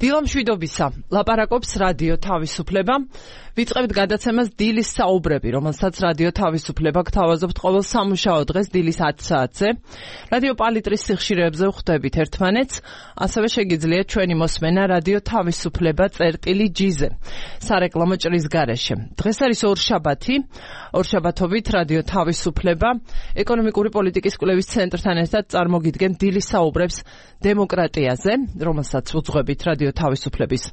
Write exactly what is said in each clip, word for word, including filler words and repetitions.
დილა მშვიდობისა, ლაპარაკობს რადიო თავისუფლება. ვიწყებთ გადაცემას დილის საუბრები, რომელსაც რადიო თავისუფლება გთავაზობთ ყოველ სამუშაო დღეს დილის ათი საათზე. რადიო პალიტრის სიხშირეებზე ვხვდებით ერთმანეთს, ასევე შეგიძლიათ ჩვენი მოსმენა რადიო თავისუფლება წერტილი ჯიზე, სარეკლამო ჭრის გარეშე. დღეს არის ორშაბათი, ორშაბათობით რადიო თავისუფლება ეკონომიკური პოლიტიკის კვლევის ცენტრთან ერთად წარმოგიდგენ დილის საუბრებს დემოკრატიაზე, რომელსაც უძღვებით რადიო თავისუფლების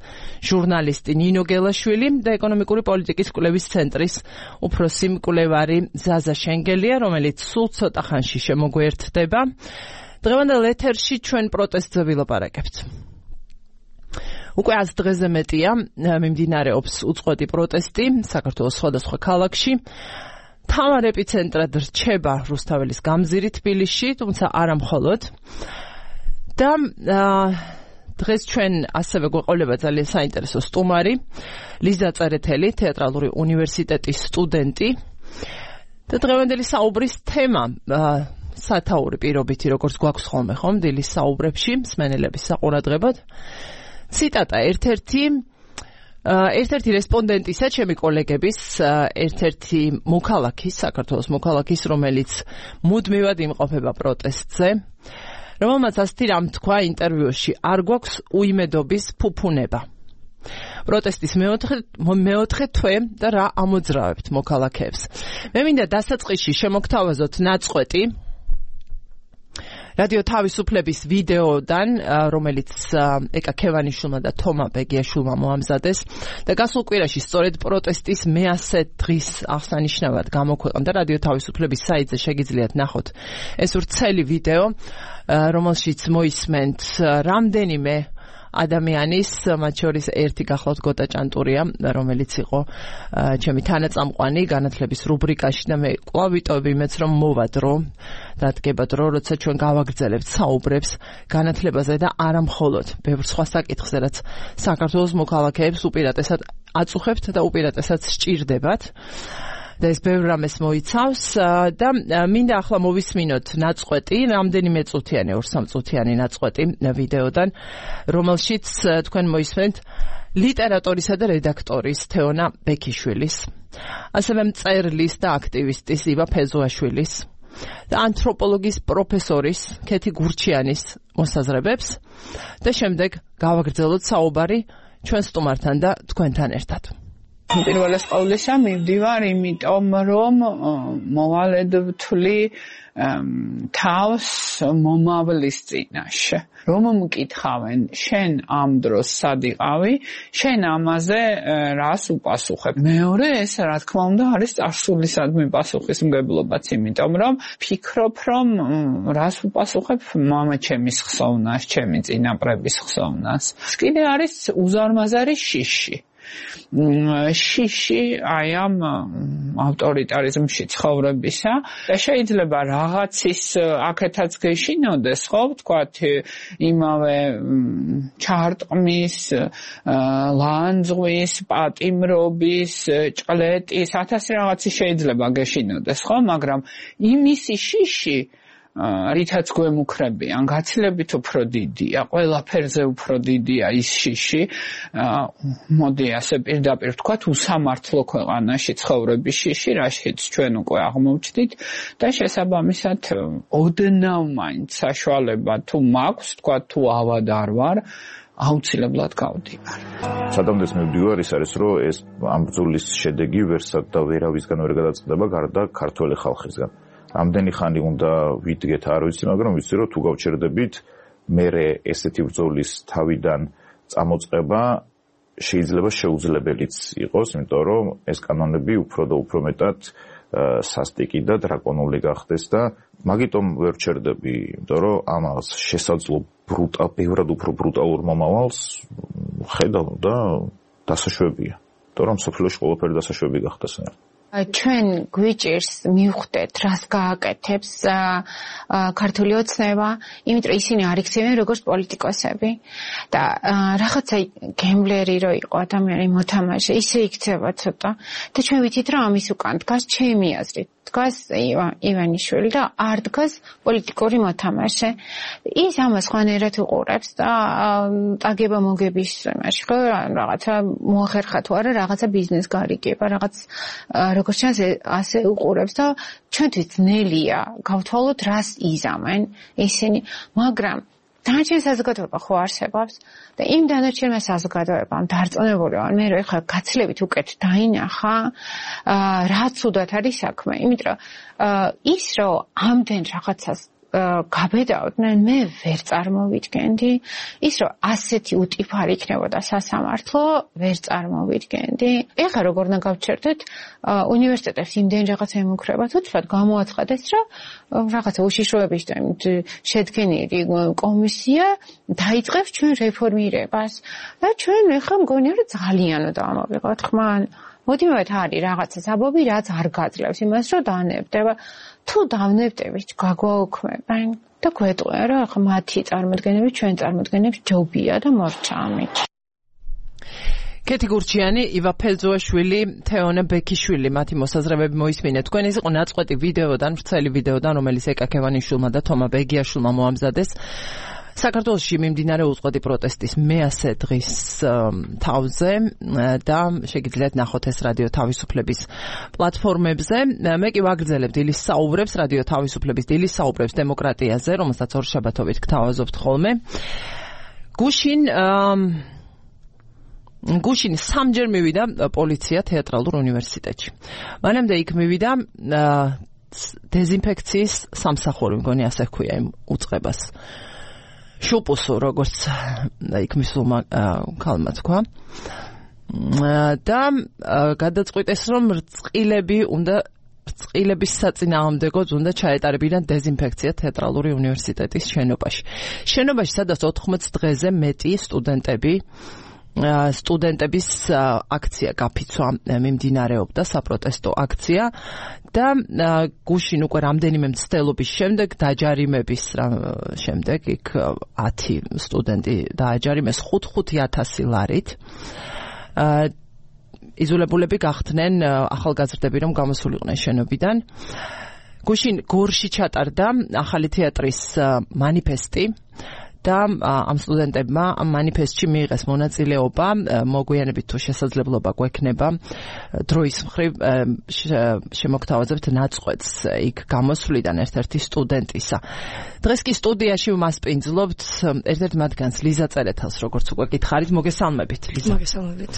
ჟურნალისტი ნინო გელაშვილი და ეკონომიკური პოლიტიკის კვლევის ცენტრის უფროსი მკვლევარი ზაზა შენგელია, რომელიც სულ ცოტა ხანში შემოგვერდება. დღევანდელ ეთერში ჩვენ პროტესტზე ვილაპარაკებთ. უკვე ას დღეზე მეტია მიმდინარეობს უწყვეტი პროტესტი საქართველოს სხვადასხვა ქალაქში. თავარ ეპიცენტრად რჩება რუსთაველის გამზირი თბილისში, თუმცა არა მხოლოდ. და დღეს ჩვენ ასევე გვეყოლება ძალიან საინტერესო სტუმარი, ლიზა წერეთელი, თეატრალური უნივერსიტეტის სტუდენტი. და დღევანდელი საუბრის თემა სათაური პირობითი, როგორც გვაქვს ხოლმე ხომ დილის საუბრებში, მსმენელების საყურადღებოდ. ციტატა ერთ-ერთი ერთ-ერთი რესპონდენტისა, ჩემი კოლეგების, ერთ-ერთი მოქალაქის, საქართველოს მოქალაქის, რომელიც მუდმივად იმყოფება პროტესტზე, რომელმაც ასეთი რამ თქვა ინტერვიუში, არ გვაქვს უიმედობის ფუფუნება. პროტესტის მეოთხე მეოთხე თვე და რა ამოძრავებთ მოქალაქეებს. მე მინდა დასაწყისში შემოგთავაზოთ ნაწყვეტი რადიო თავისუფლების ვიდეოდან, რომელიც ეკა ქევანიშვილმა და თომა ბეგიაშვილმა მოამზადეს და გასულ კვირაში სწორედ პროტესტის მეასე დღის აღსანიშნავად გამოქვეყნდა რადიო თავისუფლების საიტზე, შეგიძლიათ ნახოთ ეს ვრცელი ვიდეო, რომელშიც მოისმენთ რამდენიმე ადამიანის, მათ შორის ერთი გახლავთ გოტა ჭანტურია, რომელიც იყო ჩემი თანაწამყვანი განათლების რუბრიკაში და მე კვლავ ვიტოვებ იმედს, რომ მოვა დრო, დადგება დრო, როცა ჩვენ გავაგრძელებთ საუბრებს განათლებაზე და არა მხოლოდ ბევრ სხვა საკითხზე, რაც საქართველოს მოქალაქეებს უპირატესად აწუხებთ და უპირატესად სჭირდებათ. და ეს ბევრ რამეს მოიცავს და მინდა ახლა მოვისმინოთ ნაწყვეტი, რამდენიმე წუთიანი, ორ სამ წუთიანი ნაწყვეტი ვიდეოდან, რომელშიც თქვენ მოისმენთ ლიტერატორისა და რედაქტორის თეონა ბექიშვილის, ასევე მწერლის და აქტივისტის იბა ფეზუაშვილის და ანთროპოლოგიის პროფესორის ქეთი გურჩიანის მოსაზრებებს და შემდეგ გავაგრძელოთ საუბარი ჩვენ სტუმართან და თქვენთან ერთად. პირველეს ყოვლისა მივდივარ იმიტომ, რომ მოვალედ ვთვლი თავს მომავლის წინაშე. რომ მკითხავენ, შენ ამ დროს სად იყავი, შენ ამაზე რას უპასუხებ. მეორე, ეს რა თქმა უნდა არის წარსულისადმი პასუხისმგებლობაც, იმიტომ რომ ფიქრობ, რომ რას უპასუხებ მამა ჩემის ხსოვნას, ჩემი წინაპრების ხსოვნას. კიდე არის უზარმაზარი შიში. შიში აი ამ ავტორიტარიზმში ცხოვრებისა და შეიძლება რაღაცის აქეთაც გეშინოდეს, ხო, ვთქვათ, იმავე ჩარტყმის, ლანძღვის, პატიმრობის, ჭყლეტის, ათასი რაღაცი შეიძლება გეშინოდეს, ხო, მაგრამ იმისი შიში რითაც გვემუქრებიან, გაცილებით უფრო დიდია, ყველაფერზე უფრო დიდია ის შიში, მოდი ასე პირდაპირ ვთქვათ, უსამართლო ქვეყანაში ცხოვრების შიში, რაშიც ჩვენ უკვე აღმოვჩნდით და შესაბამისად ოდნავ მაინც საშუალება თუ მაქვს, ვთქვათ, თუ ავად არ ვარ, აუცილებლად გავდივარ. სადამდე მივდივარ, ის არის, რომ ეს ამ ბრძოლის შედეგი ვერსად და ვერავისგან ვერ გადაწყდება გარდა ქართველი ხალხისგან. ამდენი ხანი უნდა ვიდგეთ, არ ვიცი, მაგრამ ვიცი, რომ თუ გავჩერდებით, მერე ესეთი ბრძოლის თავიდან წამოწყება შეიძლება შეუძლებელიც იყოს, იმიტომ რომ ეს კანონები უფრო და უფრო მეტად სასტიკი და დრაკონული გახდეს და მაგიტომ ვერ ვჩერდები, იმიტომ რომ ამას შესაძლო ბრუტალ, ბევრად უფრო ბრუტალურ მომავალს ხედავ და დასაშვებია. იმიტომ რომ სოფლიოში ყველაფერი დასაშვები გახდეს. ჩვენ გვიჭირს მივხვდეთ, რას გააკეთებს ქართული ოცნება, იმიტომ რომ ისინი არ იქცევენ როგორც პოლიტიკოსები და რაღაცა გემბლერი რო იყო ადამიანი მოთამაშე, ისე იქცევა ცოტა და ჩვენ ვიცით, რომ ამის უკან დგას ჩემი აზრით დგას ივანიშვილი და არ დგას პოლიტიკური მოთამაშე. ის ამას ხვანერად უყურებს და ტაგება მოგების იმაში ხო რაღაცა მოახერხა თუ არა რაღაცა ბიზნეს გარიგება, რაღაც როგორც ჩანს ასე უყურებს და ჩვენთვის ძნელია გავთვალოთ რას იზამენ ისინი, მაგრამ დანარჩენ საზოგადოება ხო არსებობს და იმ დანარჩენმა საზოგადოებამ დარწმუნებული ვარ მე რომ ეხლა გაცილებით უკეთ დაინახა რა ცუდად არის საქმე, იმიტომ რომ ის რომ ამდენ რაღაცას გაბედავდნენ მე ვერ წარმოვიდგენდი, ის რომ ასეთი უტიფარი იქნებოდა სასამართლო ვერ წარმოვიდგენდი. ეხლა როგორ უნდა გავჩერდეთ უნივერსიტეტებს იმდენ რაღაცა ემუქრება, თუცბად გამოაცხადეს რომ რაღაცა უშიშროების შედგენილი კომისია დაიწყებს ჩვენ რეფორმირებას და ჩვენ ეხლა მგონია რომ ძალიანო დავამოვიღოთ ხმა. მოდივით არის რაღაცა საბობი რაც არ გაძლევს იმას რომ დაანებდება. თუ დავნებდებით გაგვაუქმებენ და გვეტყვია რომ ახლა მათი წარმოდგენები ჩვენ წარმოდგენებს ჯობია და მორჩამი. კეთი გურჩიანი, ივა ფელძოაშვილი, თეონა ბექიშვილი, მათი მოსაზრებები მოისმინეთ. თქვენ ის იყო ნაწყვეტი ვიდეოდან, ვრცელი ვიდეოდან, რომელიც ეკა ქევანიშვილმა და თომა ბეგიაშვილმა მოამზადეს. საქართველოში მიმდინარე უწყვეტი პროტესტის მეასე დღის თავზე და შეგიძლიათ ნახოთ ეს რადიო თავისუფლების პლატფორმებზე. მე კი ვაგრძელებ დილის საუბრებს, რადიო თავისუფლების დილის საუბრებს დემოკრატიაზე, რომელსაც ორშაბათობით გთავაზობთ ხოლმე. გუშინ გუშინ სამჯერ მივიდა პოლიცია თეატრალურ უნივერსიტეტში. მანამდე იქ მივიდა დეზინფექციის სამსახური, მგონი ასე ჰქვია იმ უწყებას. შუპუსო როგორც იქ მისულმა ქალმა თქვა და გადაწყვიტეს რომ რწყილები უნდა რწყილების საწინააღმდეგოდ უნდა ჩაეტარებინათ დეზინფექცია თეატრალური უნივერსიტეტის შენობაში. შენობაში სადაც ოთხმოც დღეზე მეტი სტუდენტები სტუდენტების აქცია გაფიცვა მიმდინარეობდა, საპროტესტო აქცია და გუშინ უკვე რამდენიმე მცდელობის შემდეგ დაჯარიმების შემდეგ იქ ათი სტუდენტი დააჯარიმეს ხუთი ათასი ლარით. იზოლებულები გახდნენ ახალგაზრდები, რომ გამოსულიყვნენ შენობიდან. გუშინ გორში ჩატარდა ახალი თეატრის მანიფესტი და ამ სტუდენტებმა ამ მანიფესტში მიიღეს მონაწილეობა, მოგვიანებით თუ შესაძლებლობა გვექნება დროის მხრივ შემოგთავაზებთ ნაწყვეტს იქ გამოსვლიდან ერთ-ერთი სტუდენტისა. დღეს კი სტუდიაში ვმასპინძლობთ ერთ-ერთ მათგანს, ლიზა წერეთელს, როგორც უკვე გითხარით, მოგესალმებით, ლიზა. მოგესალმებით.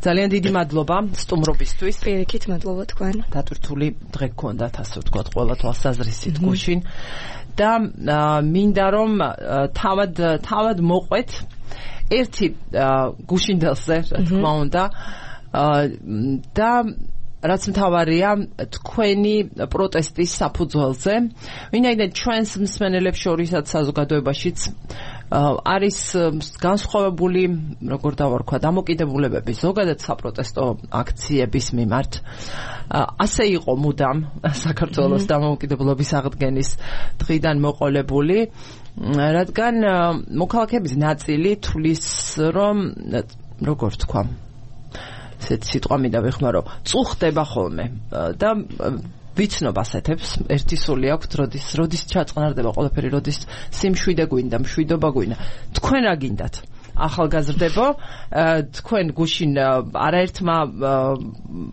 ძალიან დიდი მადლობა სტუმრობისთვის. პირიქით მადლობა თქვენ. დატვირთული დღე გქონდათ, ასე ვთქვათ, ყველა თვალსაზრისით გუშინ. და მინდა რომ თავად თავად მოყვეთ ერთი გუშინდელზე, რა თქმა უნდა, და რაც მთავარია თქვენი პროტესტის საფუძველზე, ვინაიდან ჩვენს მსმენელებს შორისაც საზოგადოებაშიც არის განსხვავებული, როგორ დავარქვა, დამოკიდებულებები ზოგადად საპროტესტო აქციების მიმართ. ასე იყო მუდამ საქართველოს დამოუკიდებლობის აღდგენის დღიდან მოყოლებული, რადგან მოქალაქეების ნაწილი თulis რომ როგორ თქვა, ესეთ სიტყვა მინდა ვიხმარო, წუხდება ხოლმე და ვიცნობ ასეთებს, ერთი სული აქვთ, როდის როდის ჩაწყნარდება ყველაფერი, როდის სიმშვიდე გვინდა, მშვიდობა გვინდა. თქვენ რა გინდათ? ახალგაზრდებო, თქვენ გუშინ არაერთმა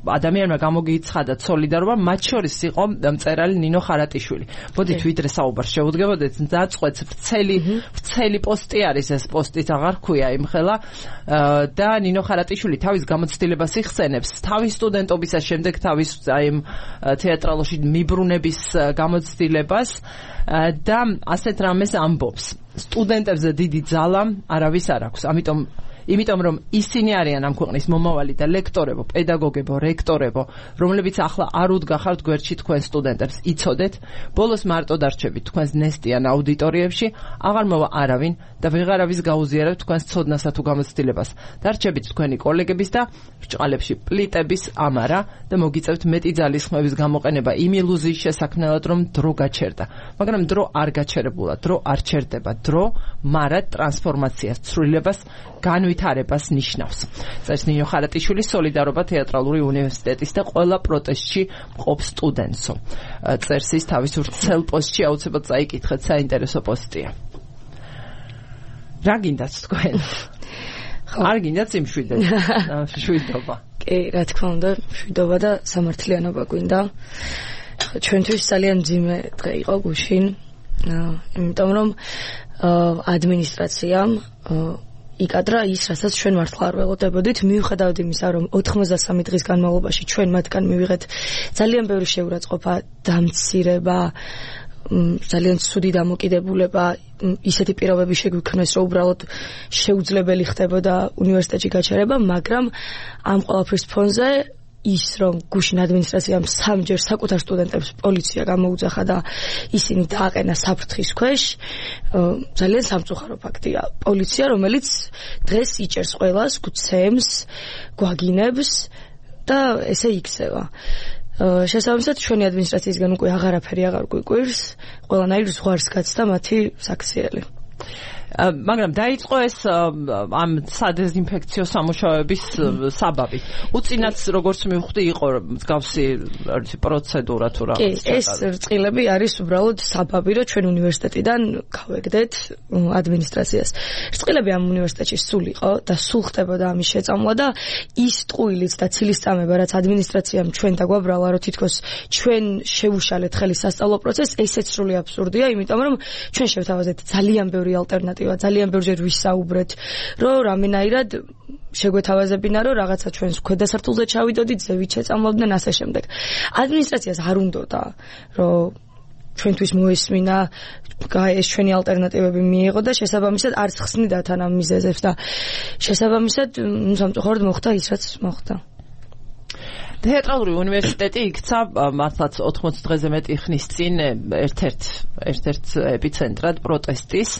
ადამიანმა გამოგიცხადათ სოლიდარობა, მათ შორის იყო მწერალი ნინო ხარატიშვილი. მოდით ვიდრე საუბარს შევუდგებოდეთ, დაწყვეტს ვრცელი ვრცელი პოსტი არის, ეს პოსტიც აღარ ქვია იმხელა და ნინო ხარატიშვილი თავის გამოცდილებას იხსენებს, თავის სტუდენტობისას, შემდეგ თავის აი თეატრალოში მიბრუნების გამოცდილებას და ასეთ რამეს ამბობს. სტუდენტებზე დიდი ძალა არავის არ აქვს. ამიტომ იმიტომ რომ ისინი არიან ამ ქვეყნის მომავალი და ლექტორებო, პედაგოგებო, რექტორებო, რომლებიც ახლა არ უდგახართ გვერდში თქვენ სტუდენტებს, იცოდეთ, ბოლოს მარტო დარჩებით თქვენს ნესტიან აუდიტორიებში, აღარ მოვა არავინ და ვეღარავის გაუზიარებთ თქვენს ცოდნასა თუ გამოცდილებას. დარჩებით თქვენი კოლეგების და ბრჭყალებში პლიტების ამარა და მოგიწევთ მეტი ძალისხმევის გამოყენება იმ ილუზიის შესაქმნელად, რომ დრო გაჩერდა. მაგრამ დრო არ გაჩერებულა, დრო არ ჩერდება, დრო მარად ტრანსფორმაციას, ცვლილებას განვი განვითარებას ნიშნავს. წერს ნინო ხარატიშვილი, სოლიდარობა თეატრალური უნივერსიტეტის და ყველა პროტესტში მყოფ სტუდენტსო. წერს ის თავის ვრცელ პოსტში, აუცილებლად წაიკითხეთ, საინტერესო პოსტია. რა გინდათ თქვენ? არ გინდათ სიმშვიდე? მშვიდობა. კი, რა თქმა უნდა, მშვიდობა და სამართლიანობა გვინდა. ჩვენთვის ძალიან მძიმე დღე იყო გუშინ, იმიტომ რომ ადმინისტრაციამ იკადრა ის, რასაც ჩვენ მართლა არ ველოდებოდით, მიუხედავად იმისა, რომ ოთხმოცდასამი დღის განმავლობაში ჩვენ მათგან მივიღეთ ძალიან ბევრი შეურაცხყოფა, დამცირება, ძალიან ცუდი დამოკიდებულება, ისეთი პირობები შეგვიქმნეს, რომ უბრალოდ შეუძლებელი ხდებოდა უნივერსიტეტში გაჩერება, მაგრამ ამ ყველაფრის ფონზე ის, რომ გუშინ ადმინისტრაციამ სამჯერ საკუთარ სტუდენტებს პოლიცია გამოუძახა და ისინი დააყენა საფრთხის ქვეშ, ძალიან სამწუხარო ფაქტია. პოლიცია, რომელიც დღეს იჭერს ყველას, გვცემს, გვაგინებს და ესე იქცევა. შესაბამისად, ჩვენი ადმინისტრაციისგან უკვე აღარაფერი აღარ გვიკვირს, ყველანაირ ზღვარს გაცდა მათი საქციელი. მაგრამ დაიწყო ეს ამ სადეზინფექციო სამუშაოების საბაბი. უწინაც როგორც მივხვდი, იყო მსგავსი პროცედურა თუ რა. კი, ეს რწყილები არის უბრალოდ საბაბი, რომ ჩვენ უნივერსიტეტიდან გავეგდეთ ადმინისტრაციას. რწყილები ამ უნივერსიტეტში სულ იყო და სულ ხდებოდა ამის შეწამლა და ის ტყუილიც და ცილისწამება, რაც ადმინისტრაციამ ჩვენ დაგვაბრალა, რომ თითქოს ჩვენ შევუშალეთ ხელი სასწავლო პროცესს, ესეც სრული აბსურდია, იმიტომ რომ ჩვენ შევთავაზეთ ძალიან ბევრი ალტერნატივა, ძალიან ბევრჯერ ვისაუბრეთ, რომ რამენაირად შეგვეთავაზებინა, რომ რაღაცა ჩვენს ქვედასართულზე ჩავიდოდით, ზევით შეწამლოდნენ ასე შემდეგ. ადმინისტრაციას არ უნდოდა, რომ ჩვენთვის მოესმინა, ეს ჩვენი ალტერნატივები მიიღო და შესაბამისად არც ხსნიდა თან ამ მიზეზებს და შესაბამისად სამწუხაროდ მოხდა ის, რაც მოხდა. თეატრალური უნივერსიტეტი იქცა მართლაც ოთხმოცდ დღეზე მეტი ხნის წინ ერთ-ერთ ერთ-ერთ ეპიცენტრად პროტესტის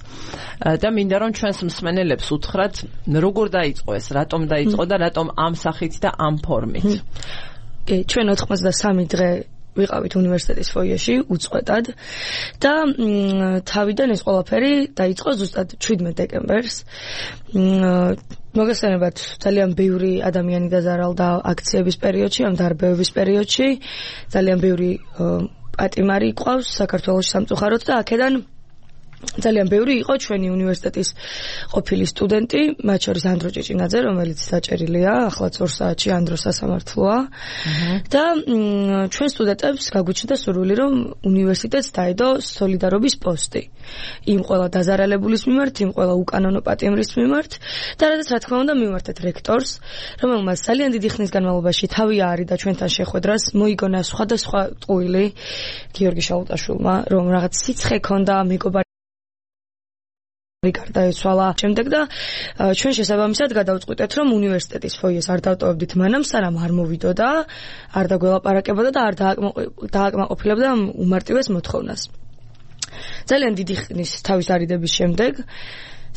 და მინდა რომ ჩვენს მსმენელებს უთხრათ, როგორ დაიწყო ეს, რატომ დაიწყო და რატომ ამ სახით და ამ ფორმით. კი, ჩვენ ოთხმოცდასამი დღე ვიყავით უნივერსიტეტის ფოიეში უწყვეტად და თავიდან ეს ყველაფერი დაიწყო ზუსტად შვიდმეტ დეკემბერს. მოგესალმებათ, ძალიან ბევრი ადამიანი დაზარალდა აქციების პერიოდში, ამ დარბევების პერიოდში. ძალიან ბევრი პატიმარი ყავს საქართველოს სამწუხაროდ და აქედან ძალიან ბევრი იყო ჩვენი უნივერსიტეტის ყოფილი სტუდენტი, მათ შორის ანდრო ჭიჭინაძე, რომელიც საჭერილია, ახლაც ორ საათში ანდრო სასამართლოა. და ჩვენ სტუდენტებს გაგვიჩნდა სურვილი, რომ უნივერსიტეტს დაედო სოლიდარობის პოსტი. იმ ყველა დაზარალებულის მიმართ, იმ ყველა უკანონო პატიმრის მიმართ და რადგან რა თქმა უნდა მივმართეთ რექტორს, რომელმაც ძალიან დიდი ხნის განმავლობაში თავი არიდა ჩვენთან შეხვედრას, მოიგონა სხვადასხვა ტყუილი გიორგი შალუტაშვილმა, რომ რაღაც სიცხე ქონდა, მეგობარი გარდაეცვალა შემდეგ და ჩვენ შესაბამისად გადავწყვიტეთ, რომ უნივერსიტეტის ფოიეს არ დავტოვებდით მანამ, სანამ არ მოვიდოდა, არ დაგველაპარაკებოდა და არ დააკმაყოფილებდა უმარტივეს მოთხოვნას. ძალიან დიდი ხნის თავის არიდების შემდეგ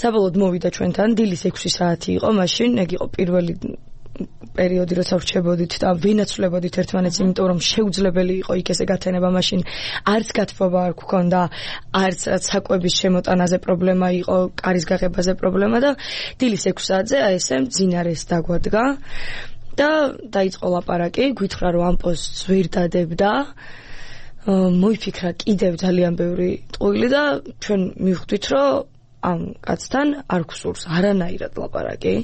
საბოლოოდ მოვიდა ჩვენთან, დილის ექვსი საათი იყო მაშინ, ეგ იყო პირველი პერიოდი, როცა ვრჩებოდით და ვინაცვლებოდით ერთმანეთს, იმიტომ რომ შეუძლებელი იყო იქ ესე გათენება, მაშინ არც გათბობა არ გქონდა, არც საკვების შემოტანაზე პრობლემა იყო, კარის გაღებაზე პრობლემა და დილის ექვსი საათზე აი ესე მძინარეს დაგვადგა და დაიწყო ლაპარაკი, გვითხრა რომ ამ პოსტს ვერ დადებდა. მოიფიქრა კიდევ ძალიან ბევრი ტყუილი და ჩვენ მივხვდით, რომ ამ კაცთან არ გვსურს არანაირად ლაპარაკი.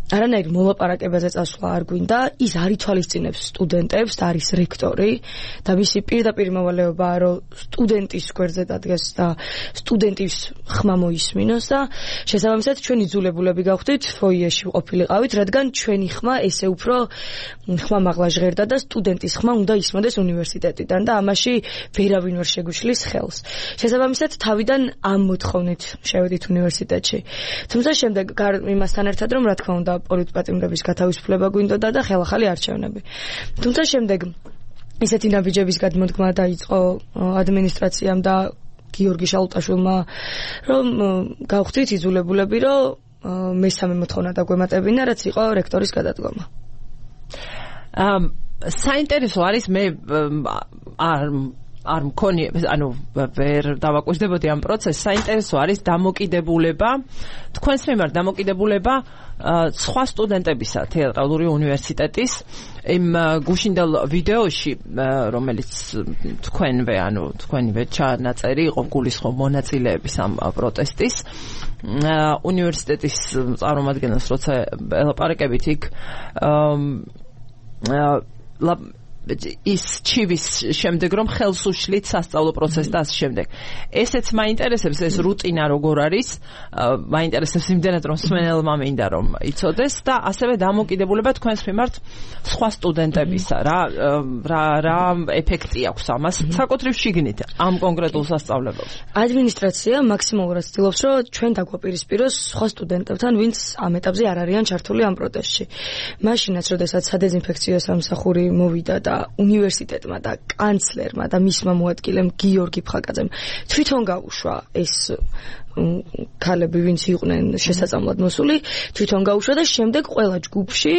არანაირ მოლაპარაკებაზე წასვლა არ გვინდა, ის არ ითვალისწინებს სტუდენტებს, არის რექტორი და მისი პირდაპირ მოვალეობაა, რომ სტუდენტის გვერდზე დადგეს და სტუდენტის ხმა მოისმინოს და შესაბამისად ჩვენი ძულებულები გავხდით, ფოიეში ყოფილიყავით, რადგან ჩვენი ხმა ესე უფრო ხმა მაღლა ჟღერდა და სტუდენტის ხმა უნდა ისმოდეს უნივერსიტეტიდან და ამაში ვერავინ ვერ შეგვიშლის ხელს. შესაბამისად თავიდან ამ მოთხოვნით შევედით უნივერსიტეტში. თუმცა შემდეგ იმასთან ერთად, რომ რა თქმა უნდა პოლიტპატიმრების გათავისუფლება გვინდოდა და ხელახალი არჩევნები. თუმცა შემდეგ ისეთი ნაბიჯების გადმოდგმა დაიწყო ადმინისტრაციამ და გიორგი შალუტაშვილმა, რომ გავხდით იძულებულები, რომ მესამე მოთხოვნა დაგვემატებინა, რაც იყო რექტორის გადადგომა. საინტერესო არის, მე არ არ მქონია, ანუ ვერ დავაკვირდებოდი ამ პროცესს, საინტერესო არის დამოკიდებულება, თქვენს მიმართ დამოკიდებულება სხვა სტუდენტებისა თეატრალური უნივერსიტეტის იმ გუშინდელ ვიდეოში, რომელიც თქვენვე, ანუ თქვენივე ჩანაწერი იყო გულისხმობ მონაწილეების ამ პროტესტის უნივერსიტეტის წარმომადგენელს როცა ელაპარაკებით იქ ის ჩივის შემდეგ რომ ხელს უშლით სასწავლო პროცესს და ასე შემდეგ. ესეც მაინტერესებს ეს რუტინა როგორ არის, მაინტერესებს იმდენად რომ მსმენელმა მინდა რომ იცოდეს და ასევე დამოკიდებულება თქვენს მიმართ სხვა სტუდენტებისა, რა რა რა ეფექტი აქვს ამას საკუთრივ შიგნით ამ კონკრეტულ სასწავლებელს. ადმინისტრაცია მაქსიმალურად ცდილობს რომ ჩვენ დაგვაპირისპიროს სხვა სტუდენტებთან, ვინც ამ ეტაპზე არ არიან ჩართული ამ პროტესტში. მაშინაც, როდესაც სადეზინფექციო სამსახური მოვიდა და უნივერსიტეტმა და კანცლერმა და მისმა მოადგილემ გიორგი ფხაკაძემ თვითონ გაუშვა ეს ქალები, ვინც იყვნენ შესაძლებლად მოსული, თვითონ გაუშვა და შემდეგ ყველა ჯგუფში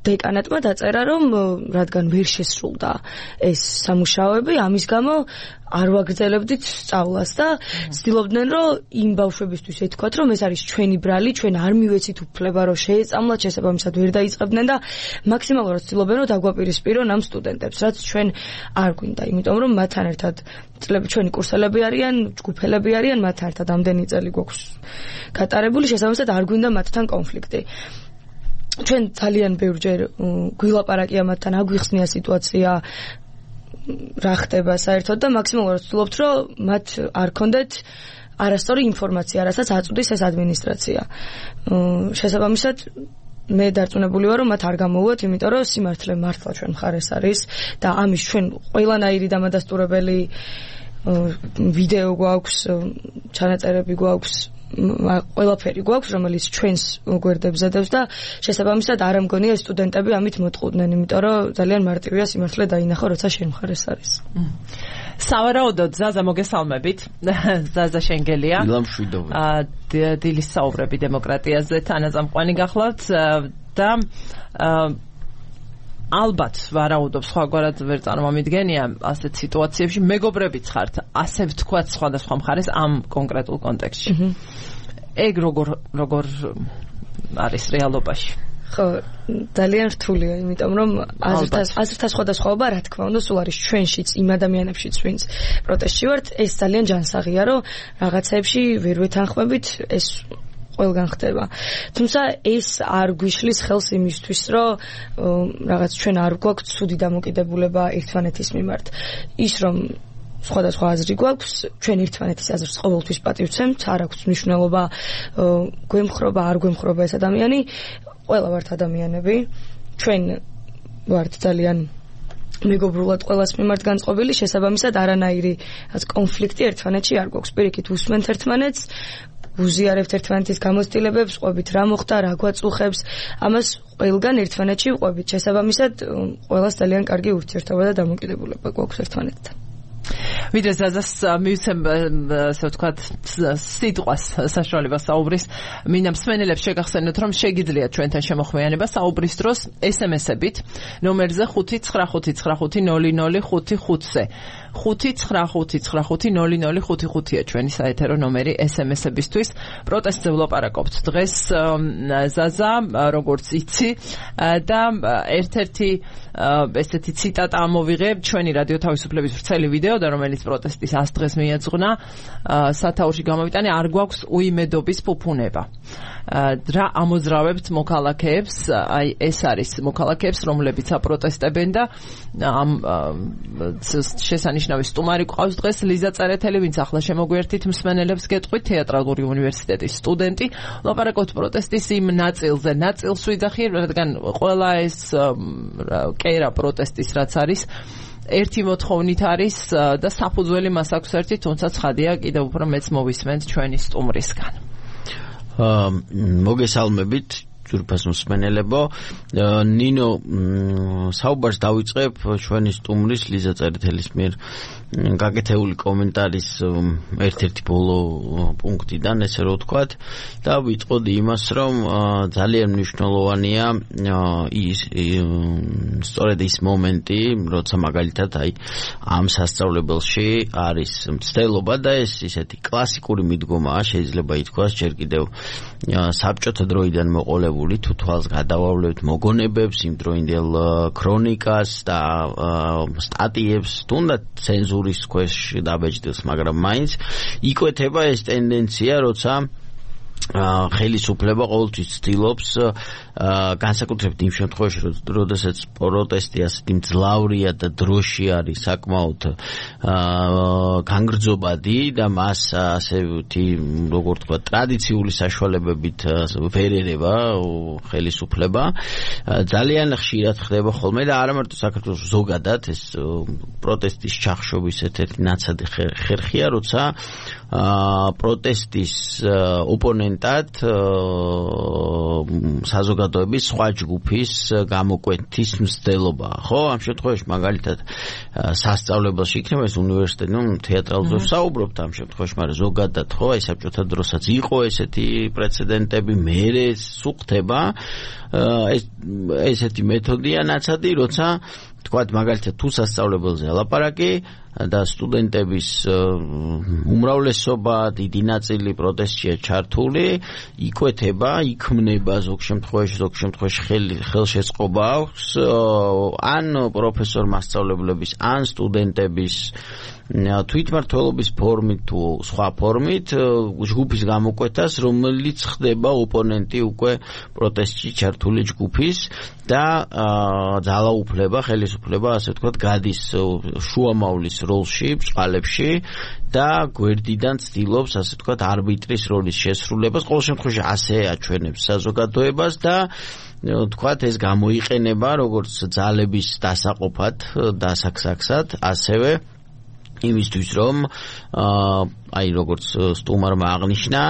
დეკანატმა დაწერა, რომ რადგან ვერ შესრულდა ეს სამუშაოები, ამის გამო არ ვაგრძელებდით სწავლას და ცდილობდნენ, რომ იმ ბავშვებისთვის ეთქვათ, რომ ეს არის ჩვენი ბრალი, ჩვენ არ მივეცით უფლება, რომ შეეწამლათ, შესაბამისად ვერ დაიწყებდნენ და მაქსიმალურად ცდილობდნენ, რომ დაგვაპირისპირონ ამ სტუდენტებს, რაც ჩვენ არ გვინდა, იმიტომ რომ მათთან ერთად წლები ჩვენი კურსელები არიან, ჯგუფელები არიან, მათთან ერთად ამდენი წელი გვაქვს გატარებული, შესაბამისად არ გვინდა მათთან კონფლიქტი. ჩვენ ძალიან ბევრჯერ გვილაპარაკია მათთან, აგვიხსნია სიტუაცია რა ხდება საერთოდ და მაქსიმალურად ვცდილობთ, რომ მათ არ ქონდეთ არასწორი ინფორმაცია, რასაც აწვდის ეს ადმინისტრაცია. შესაბამისად მე დარწმუნებული ვარ, რომ მათ არ გამოუვათ, იმიტომ რომ სიმართლე მართლა ჩვენ მხარეს არის და ამის ჩვენ ყველანაირი დამადასტურებელი ვიდეო გვაქვს, ჩანაწერები გვაქვს, ყველაფერი გვაქვს, რომელიც ჩვენს გვერდებზე დევს და შესაბამისად არ ამგონია სტუდენტები ამით მოტყუდნენ, იმიტომ რომ ძალიან მარტივია სიმართლე დაინახო, როცა შენ მხარეს არის. სავარაუდოდ ზაზა მოგესალმებით. ზაზა შენგელია. დილამშვიდობა. დილის საუბრები დემოკრატიაზე თანაზამყვანი გახლავთ და ალბათ ვარაუდობ სხვაგვარად ვერ წარმომიდგენია ასეთ სიტუაციებში მეგობრებიც ხართ, ასე ვთქვათ სხვადასხვა მხარეს ამ კონკრეტულ კონტექსტში. ეგ როგორ როგორ არის რეალობაში? ხო, ძალიან რთულია, იმიტომ რომ აზრთა აზრთა სხვადასხვაობა, რა თქმა უნდა, სულ არის ჩვენშიც, იმ ადამიანებშიც, ვინც პროტესტში ვართ, ეს ძალიან ჯანსაღია, რომ რაღაცეებში ვერ ვეთანხმებით, ეს ყველგან ხდება. თუმცა ეს არ გვიშლის ხელს იმისთვის, რომ რაღაც ჩვენ არ გვაქვს ცუდი დამოკიდებულება ერთმანეთის მიმართ. ის რომ სხვადასხვა აზრი გვაქვს, ჩვენ ერთმანეთის აზრს ყოველთვის პატივცემთ, არ აქვს მნიშვნელობა გვემხრობა, არ გვემხრობა ეს ადამიანი, ყველა ვართ ადამიანები. ჩვენ ვართ ძალიან მეგობრულად ყველას მიმართ განწყობილი, შესაბამისად არანაირი კონფლიქტი ერთმანეთში არ გვაქვს. პირიქით უსმენთ ერთმანეთს, უზიარებთ ერთმანეთის გამოცდილებებს, ყვებით რა მოხდა, რა გვაწუხებს, ამას ყველგან ერთმანეთში ვყვებით. შესაბამისად, ყველას ძალიან კარგი ურთიერთობა და დამოკიდებულება გვაქვს ერთმანეთთან. ვიდრე ზაზას მივცემ, ასე ვთქვათ, სიტყვას საშუალებას საუბრის, მინდა მსმენელებს შეგახსენოთ, რომ შეგიძლიათ ჩვენთან შემოხვეანება საუბრის დროს ეს ემ ესებით ნომერზე ხუთი ცხრა ხუთი ცხრა ხუთი ნული ნული ხუთი ხუთზე. ხუთი ცხრა ხუთი ცხრა ხუთი ნული ნული ხუთი ხუთია ჩვენი საეთერო ნომერი ეს ემ ესებისთვის. პროტესტზე ვლაპარაკობთ დღეს ზაზა, როგორც იცი და ერთ-ერთი ესეთი ციტატა ამოვიღე ჩვენი რადიო თავისუფლების ვრცელი ვიდეო და რომელიც პროტესტის ას დღეს მიეძღვნა სათაურში გამოვიტანე, არ გვაქვს უიმედობის ფუფუნება. რა ამოძრავებთ მოქალაქეებს, აი ეს არის მოქალაქეებს, რომლებიც აპროტესტებენ და ამ შესანიშნავი სტუმარი გვყავს დღეს ლიზა წერეთელი, ვინც ახლა შემოგვერთით მსმენელებს გეტყვით, თეატრალური უნივერსიტეტის სტუდენტი. ლაპარაკობთ პროტესტის იმ ნაწილზე, ნაწილს ვიძახი, რადგან ყველა ეს კერა პროტესტის რაც არის ერთი მოთხოვნით არის და საფუძველი მას აქვს ერთი, თუმცა ცხადია კიდევ უფრო მეც მოვისმენთ ჩვენი სტუმრისგან. მოგესალმებით, ძვირფას მსმენელებო, ნინო საუბარს დავიწყებ ჩვენი სტუმრის ლიზა წერეთელის მიერ გაკეთებული კომენტარის ერთ-ერთი ბოლო პუნქტიდან, ესე რომ ვთქვათ, და ვიტყოდი იმას, რომ ძალიან მნიშვნელოვანია ის სწორედ ის მომენტი, როცა მაგალითად აი ამ სასწავლებელში არის მცდელობა და ეს ისეთი კლასიკური მიდგომაა, შეიძლება ითქვას, ჯერ კიდევ საბჭოთა დროიდან მოყოლებული, თუ თვალს გადავავლევთ მოგონებებს, იმ დროინდელ ქრონიკას და სტატიებს, თუნდაც ცენზურის ქვეშ დაბეჭდილს, მაგრამ მაინც იკვეთება ეს ტენდენცია, როცა ხელისუფლება ყოველთვის ცდილობს განსაკუთრებით იმ შემთხვევაში, როდესაც პროტესტი ასეთი მძლავრია და დროში არის საკმაოდ განგრძობადი და მას ასეთი, როგორ თქვა, ტრადიციული საშუალებებით ვერ ერევა ხელისუფლება. ძალიან ხშირად ხდება ხოლმე და არა მარტო საქართველოს ზოგადად ეს პროტესტის ჩახშობის ერთ-ერთი ნაცადი ხერხია, როცა პროტესტის ოპონენტად საზოგადოების სხვა ჯგუფის გამოკვეთის მცდელობა, ხო? ამ შემთხვევაში მაგალითად სასწავლებელში იქნება ეს უნივერსიტეტი, ნუ თეატრალზე ვსაუბრობთ ამ შემთხვევაში, მაგრამ ზოგადად, ხო, აი საბჭოთა დროსაც იყო ესეთი პრეცედენტები, მერე სუხდება ეს ესეთი მეთოდია ნაცადი, როცა თქვათ მაგალითად თუ სასწავლებელზე ალაპარაკი და სტუდენტების უმრავლესობა, დიდი ნაწილი პროტესტშია ჩართული, იკვეთება, იქმნება ზოგ შემთხვევაში, ზოგ შემთხვევაში ხელშეწყობა აქვს ან პროფესორ მასწავლებლების, ან სტუდენტების თვითმმართველობის ფორმით თუ სხვა ფორმით ჯგუფის გამოკვეთას, რომელიც ხდება ოპონენტი უკვე პროტესტში ჩართული ჯგუფის და ძალაუფლება, ხელისუფლება, ასე ვთქვათ, გადის შუამავლის როლში, ბწყალებში და გვერდიდან ცდილობს, ასე ვთქვათ, არბიტრის როლის შესრულებას. ყოველ შემთხვევაში ასე აჩვენებს საზოგადოებას და ვთქვათ, ეს გამოიყენება როგორც ძალების დასაყოფად, დასაქსაქსად, ასევე იმისთვის, რომ აი როგორც სტუმარმა აღნიშნა,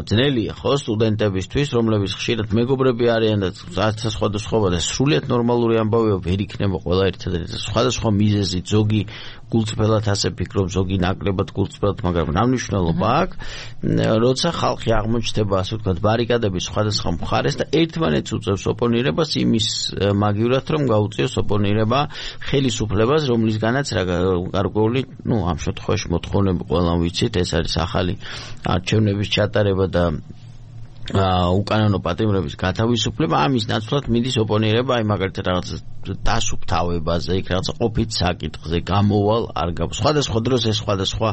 ძნელია ხო სტუდენტებისთვის, რომლებიც ხშირად მეგობრები არიან და სხვადასხვა და სრულიად ნორმალური ამბავია, ვერ იქნება ყველა ერთადერთი სხვადასხვა მიზეზით, ზოგი გულწრფელად ასე ფიქრობ, ზოგი ნაკლებად გულწრფელად, მაგრამ რა მნიშვნელობა აქვს, როცა ხალხი აღმოჩნდება, ასე ვთქვათ, ბარიკადების სხვადასხვა მხარეს და ერთმანეთს უწევს ოპონირებას იმის მაგივრად, რომ გაუწიოს ოპონირება ხელისუფლებას, რომლისგანაც რა გარკვეული, ну, ამ შემთხვევაში მოთხოვნები ყველა ვიცით, ეს არის ახალი არჩევნების ჩატარება და უკანონო პატიმრების გათავისუფლება, ამის ნაცვლად მიდის ოპონირება, აი მაგალითად რაღაც დასუფთავებაზე, იქ რაღაც ყოფით საკითხზე, გამოვალ არ გაქვს. სხვადასხვა დროს ეს სხვადასხვა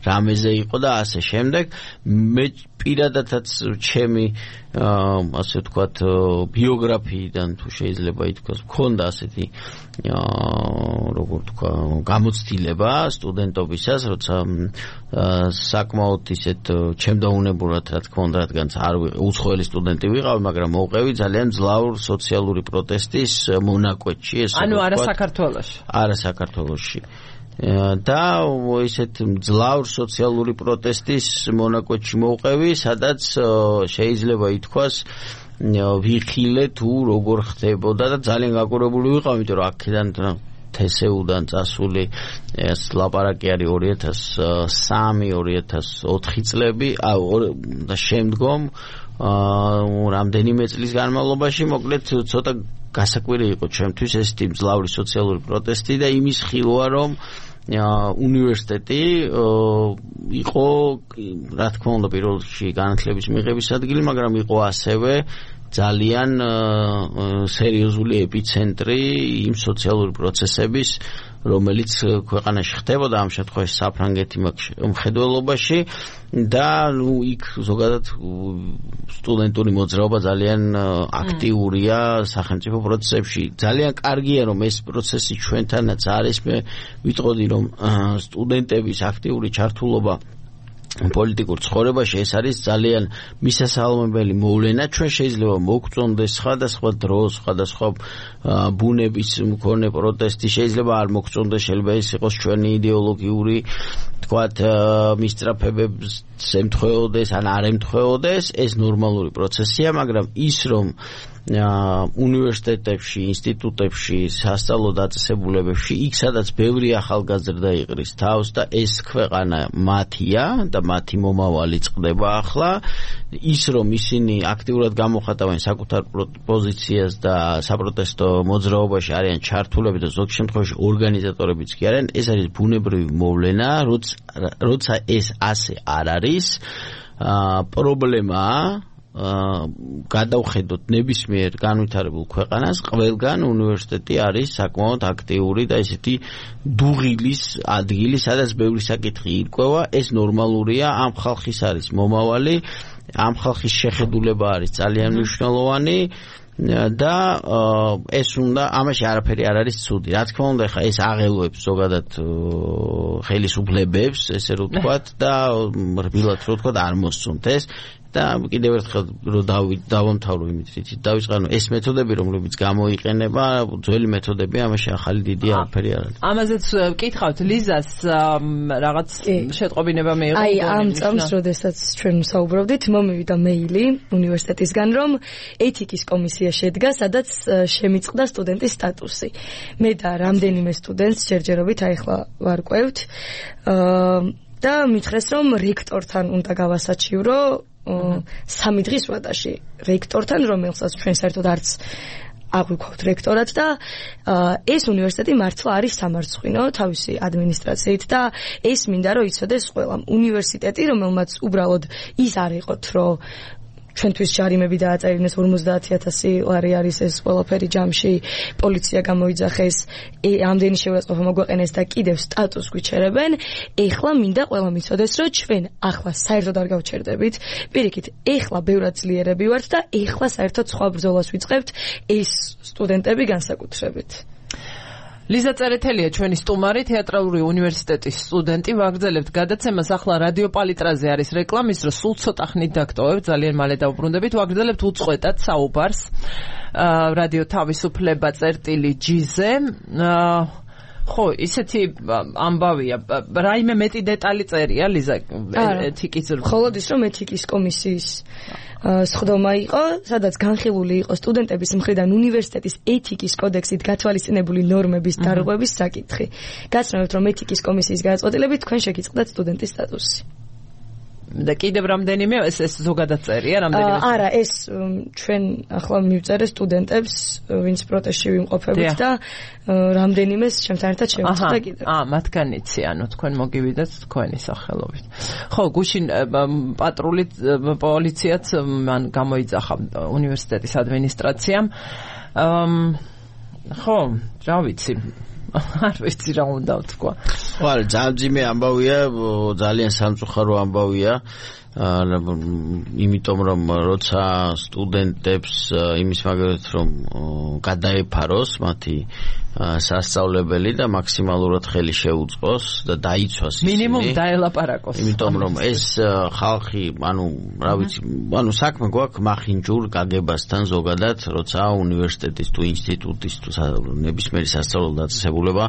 რამეზე იყო და ასე შემდეგ. მე პირადადაც ჩემი ასე ვთქვათ ბიოგრაფიიდან თუ შეიძლება ითქვას, მქონდა ასეთი როგორ თქვა გამოცდილება სტუდენტობისას, როცა საკმაოდ ისეთ ჩემდაუნებურად რა თქმა უნდა, რადგანაც არ უცხოელი სტუდენტი ვიყავი, მაგრამ მოვყევი ძალიან ძლავრ სოციალური პროტესტის მონაკვეთში, ეს ანუ არა საქართველოში. არა საქართველოში. და ისეთ ძლავრ სოციალური პროტესტის მონაკვეთში მოვყევი, სადაც შეიძლება ითქვას ვიხილე თუ როგორ ხდებოდა და ძალიან გაკურებული ვიყავ, იმიტომ რომ აქედან თესეუდან წასული ეს ლაპარაკი არის ორი ათას სამი ორი ათას ოთხი წლები და შემდგომ რამდენიმე წლის განმავლობაში, მოკლედ ცოტა გასაკვირი იყო ჩემთვის ეს მძლავრი სოციალური პროტესტი და იმის ხილვა, რომ უნივერსიტეტი იყო, რა თქმა უნდა, პირველ რიგში განათლების მიღების ადგილი, მაგრამ იყო ასევე ძალიან სერიოზული ეპიცენტრი იმ სოციალური პროცესების, რომელიც ქვეყანაში ხდებოდა, ამ შემთხვევაში საფრანგეთი მხედველობაში და ნუ იქ ზოგადად სტუდენტური მოძრაობა ძალიან აქტიურია სახელმწიფო პროცესებში. ძალიან კარგია, რომ ეს პროცესი ჩვენთანაც არის. მე ვიტყოდი, რომ სტუდენტების აქტიური ჩართულობა პოლიტიკურ ცხოვრებაში ეს არის ძალიან მისასალმებელი მოვლენა. ჩვენ შეიძლება მოგწონდეს სხვადასხვა დროს, სხვადასხვა ბუნების მქონე პროტესტი, შეიძლება არ მოგწონდეს, შეიძლება ეს იყოს ჩვენი იდეოლოგიური თქვათ მისწრაფებებს ემთხვეოდეს ან არ ემთხვეოდეს, ეს ნორმალური პროცესია, მაგრამ ის რომ უნივერსიტეტებში, ინსტიტუტებში, სასწავლო დაწესებულებებში, იქ სადაც ბევრი ახალგაზრდა იყრის თავს და ეს ქვეყანა მათია და მათი მომავალი წყდება ახლა, ის რომ ისინი აქტიურად გამოხატავენ საკუთარ პოზიციას და საპროტესტო მოძრაობაში არიან ჩართულები და ზოგ შემთხვევაში ორგანიზატორებიც კი არიან, ეს არის ბუნებრივი მოვლენა, როცა ეს ასე არ არის, პრობლემაა გადავხედოთ ნებისმიერ განვითარებულ ქვეყანას, ყველგან უნივერსიტეტი არის საკმაოდ აქტიური და ესეთი დუღილის ადგილი, სადაც ბევრი საკითხი ირკვევა, ეს ნორმალურია, ამ ხალხის არის მომავალი, ამ ხალხის შეხედულება არის ძალიან მნიშვნელოვანი და ეს უნდა ამაში არაფერი არ არის ცუდი. Რა თქმა უნდა, ხა ეს აღელვებს ზოგადად ხელისუფლებებს, ესე რომ ვთქვათ და რბილად რომ ვთქვათ არ მოსწონთ ეს და კიდევ ერთხელ რომ დავამთავრო იმით, რითიც დავიწყე, ეს მეთოდები, რომლებიც გამოიყენება, ძველი მეთოდები, ამაში ახალი დიდი არაფერი არ არის. ამაზეც ვკითხავთ ლიზას რაღაც შეტყობინება მეიღო. აი, ამ წამს, როდესაც ჩვენ საუბრობდით, მომივიდა მეილი უნივერსიტეტისგან, რომ ეთიკის კომისია შედგა, სადაც შემიწყდა სტუდენტის სტატუსი. მე და რამდენიმე სტუდენტს ჯერჯერობით აიხლა ვარკვევთ და მითხრეს, რომ რექტორთან უნდა გავასაჩიურო სამი დღის ვადაში რექტორთან, რომელსაც ჩვენ საერთოდ არც აღვიქვავთ რექტორად და ეს უნივერსიტეტი მართლა არის სამარცხვინო თავისი ადმინისტრაციით და ეს მინდა რომ იცოდეს ყველამ. უნივერსიტეტი, რომელმაც უბრალოდ ის არ იყოთ, რომ ჩვენთვის ჯარიმები დააწერინეს ორმოცდაათი ათასი ლარი არის ეს ყველაფერი ჯამში, პოლიცია გამოიძახეს, ამდენი შეურაცხყოფა მოგვაყენეს და კიდევ სტატუს გვიჩერებენ. ეხლა მინდა ყველამ იცოდეს, რომ ჩვენ ახლა საერთოდ არ გავჩერდებით. პირიქით, ეხლა ბევრად ძლიერები ვართ და ეხლა საერთოდ სხვა ბრძოლას ვიწყებთ ეს სტუდენტები განსაკუთრებით. ლიზა წერეთელია ჩვენი სტუმარი, თეატრალური უნივერსიტეტის სტუდენტი. ვაგრძელებთ გადაცემას, ახლა რადიო პალიტრაზე არის რეკლამის დრო, სულ ცოტა ხნით დაგტოვებთ, ძალიან მალე დავუბრუნდებით. ვაგრძელებთ უწყვეტად საუბარს რადიო თავისუფლება წერტილი ჯიზე. ხო, ისეთი ამბავია. რაიმე მეტი დეტალი წერია ლიზა ეთიკის ზრდ. მხოლოდ ის რომ ეთიკის კომისიის სხდომა იყო, სადაც განხილული იყო სტუდენტების მხრიდან უნივერსიტეტის ეთიკის კოდექსით გათვალისწინებული ნორმების დარღვევის საკითხი. გაცნობთ, რომ ეთიკის კომისიის გადაწყვეტილებით თქვენ შეგიწყდათ სტუდენტის სტატუსი. და კიდევ რამდენიმე ეს ეს ზოგადად წერია რამდენიმე არა ეს ჩვენ ახლა მივწერე სტუდენტებს ვინც პროტესტში ვიმყოფებით და რამდენიმეს ჩემთან ერთად შევწყვეტ კიდევ აა მათგანიცი ანუ თქვენ მოგივიდეთ თქვენი სახელობით ხო გუშინ პატრული პოლიციაც მან გამოიძახა უნივერსიტეტის ადმინისტრაციამ ხო რა ვიცი არ ვიცი რა უნდა ვთქვა. ხო, არა, ძალიან ძიმე ამბავია, ძალიან სამწუხარო ამბავია. იმიტომ რომ როცა სტუდენტებს იმის მაგალითად რომ გადაეფაროს მათი სასწავლებელი და მაქსიმალურად ხელი შეუწყოს და დაიცვას ისინი. მინიმუმ დაელაპარაკოს. იმიტომ რომ ეს ხალხი, ანუ რა ვიცი, ანუ საქმე გვაქვს მახინჯურ გაგებასთან ზოგადად, როცა უნივერსიტეტის თუ ინსტიტუტის თუ ნებისმიერი სასწავლო დაწესებულება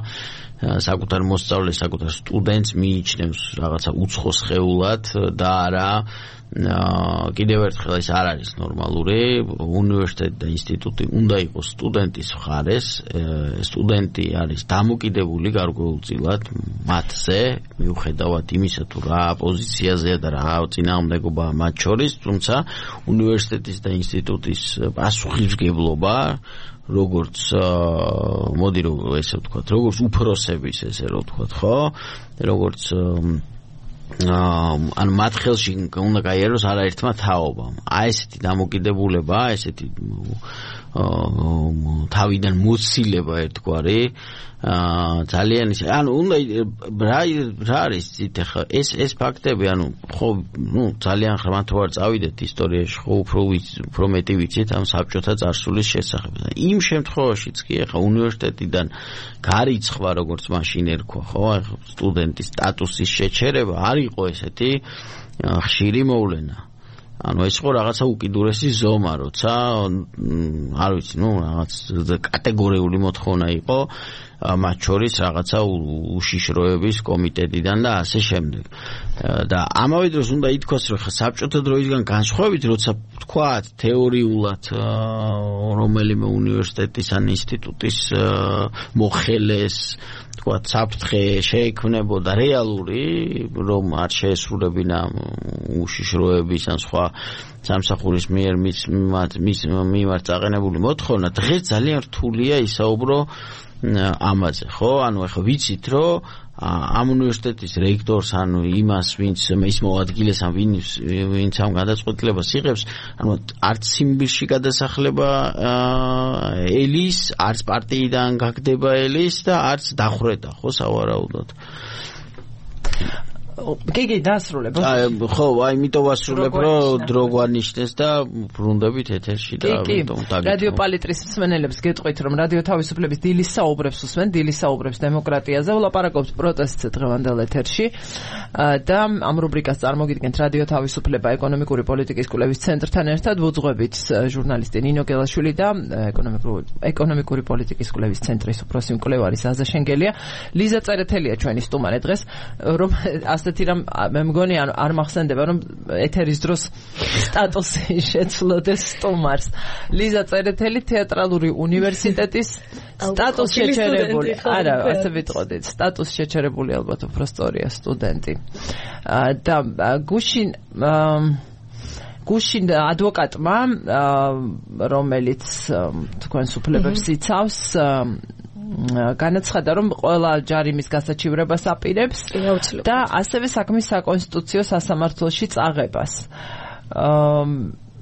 საკუთარ მოსწავლეს, საკუთარ სტუდენტს მიიჩნევს რაღაცა უცხო სხეულად და არა კიდევ ერთხელ ეს არ არის ნორმალური. უნივერსიტეტი და ინსტიტუტი უნდა იყოს სტუდენტის მხარეს. სტუდენტი არის დამოკიდებული გარკვეულწილად მათზე, მიუხედავად იმისა თუ რა პოზიციაზეა და რა წინააღმდეგობაა მათ შორის, თუმცა უნივერსიტეტის და ინსტიტუტის პასუხისმგებლობა როგორც მოდი რომ ესე ვთქვათ, როგორც უფროსების ესე რომ ვთქვათ, ხო? როგორც ან მათ ხელში უნდა გაიაროს არაერთმა თაობამ. აი ესეთი დამოკიდებულება, ესეთი თავიდან მოცილება ერთგვარი აა ძალიან ის ანუ უნდა რა რა არის იცით ახლა ეს ეს ფაქტები ანუ ხო ნუ ძალიან ხმათ ვარ წავიდეთ ისტორიაში ხო უფრო უფრო მეტი ვიცით ამ საბჭოთა წარსულის შესახებ და იმ შემთხვევაშიც კი ახლა უნივერსიტეტიდან გარიცხვა როგორც მაშინ ერქვა ხო სტუდენტის სტატუსის შეჩერება არ იყო ესეთი ხშირი მოვლენა ანუ ეს ხო რაღაცა უკიდურესი ზომა როცა არ ვიცი ნუ რაღაც კატეგორიული მოთხოვნა იყო მათ შორის რაღაცა უშიშროების კომიტეტიდან და ასე შემდეგ და ამავე დროს უნდა ითქვას რომ ხა საბჭოთა დროისგან განსხვავებით როცა თქვათ თეორიულად რომელიმე უნივერსიტეტის ან ინსტიტუტის მოხელეს თქვათ საფრთხე შეექმნებოდა რეალური რომ არ შეესრულებინა უშიშროების ან სხვა სამსახურის მიერ მის მის მიმართ წაყენებული მოთხოვნა დღეს ძალიან რთულია ისაუბრო ამაზე ხო ანუ ახლა ვიცით რომ ამ უნივერსიტეტის რექტორს ანუ იმას ვინც ის მოადგილეს ან ვინც ვინც ამ გადაწყვეტილებას იღებს ანუ არც სიმბირში გადასახლება ელის არც პარტიიდან გაგდება ელის და არც დახვრეტა ხო სავარაუდოდ კი კი დასრულებ ხო აი იმიტომ ვასრულებ რომ დრო გვანიშნეს და ბრუნდებით ეთერში და ამიტომ დაგიწყო რადიო პალიტრის მსმენელებს გეტყვით რომ რადიო თავისუფლების დილის საუბრებს უსმენ დილის საუბრებს დემოკრატიაზე ვლაპარაკობთ პროტესტს დღევანდელ ეთერში და ამ რუბრიკას წარმოგიდგენთ რადიო თავისუფლება ეკონომიკური პოლიტიკის კვლევის ცენტრთან ერთად ვუძღვებით ჟურნალისტი ნინო გელაშვილი და ეკონომიკური ეკონომიკური პოლიტიკის კვლევის ცენტრის უფროსი მკვლევარი ზაზა შენგელია ლიზა წერეთელია ჩვენი სტუმარი დღეს რომ ასეთი რამ მე მგონი ანუ არ მახსენდება რომ ეთერის დროს სტატუსი შეცვლოდეს სტუმარს ლიზა წერეთელი თეატრალური უნივერსიტეტის სტატუს შეჩერებული არა ასე ვიტყოდით სტატუს შეჩერებული ალბათ უფრო სწორია სტუდენტი და გუშინ გუშინ ადვოკატმა რომელიც თქვენს უფლებებს იცავს განაცხადა რომ ყველა ჯარიმის გასაჩივრებას აპირებს და ასევე საქმის საკონსტიტუციო სასამართლოში წაღებას.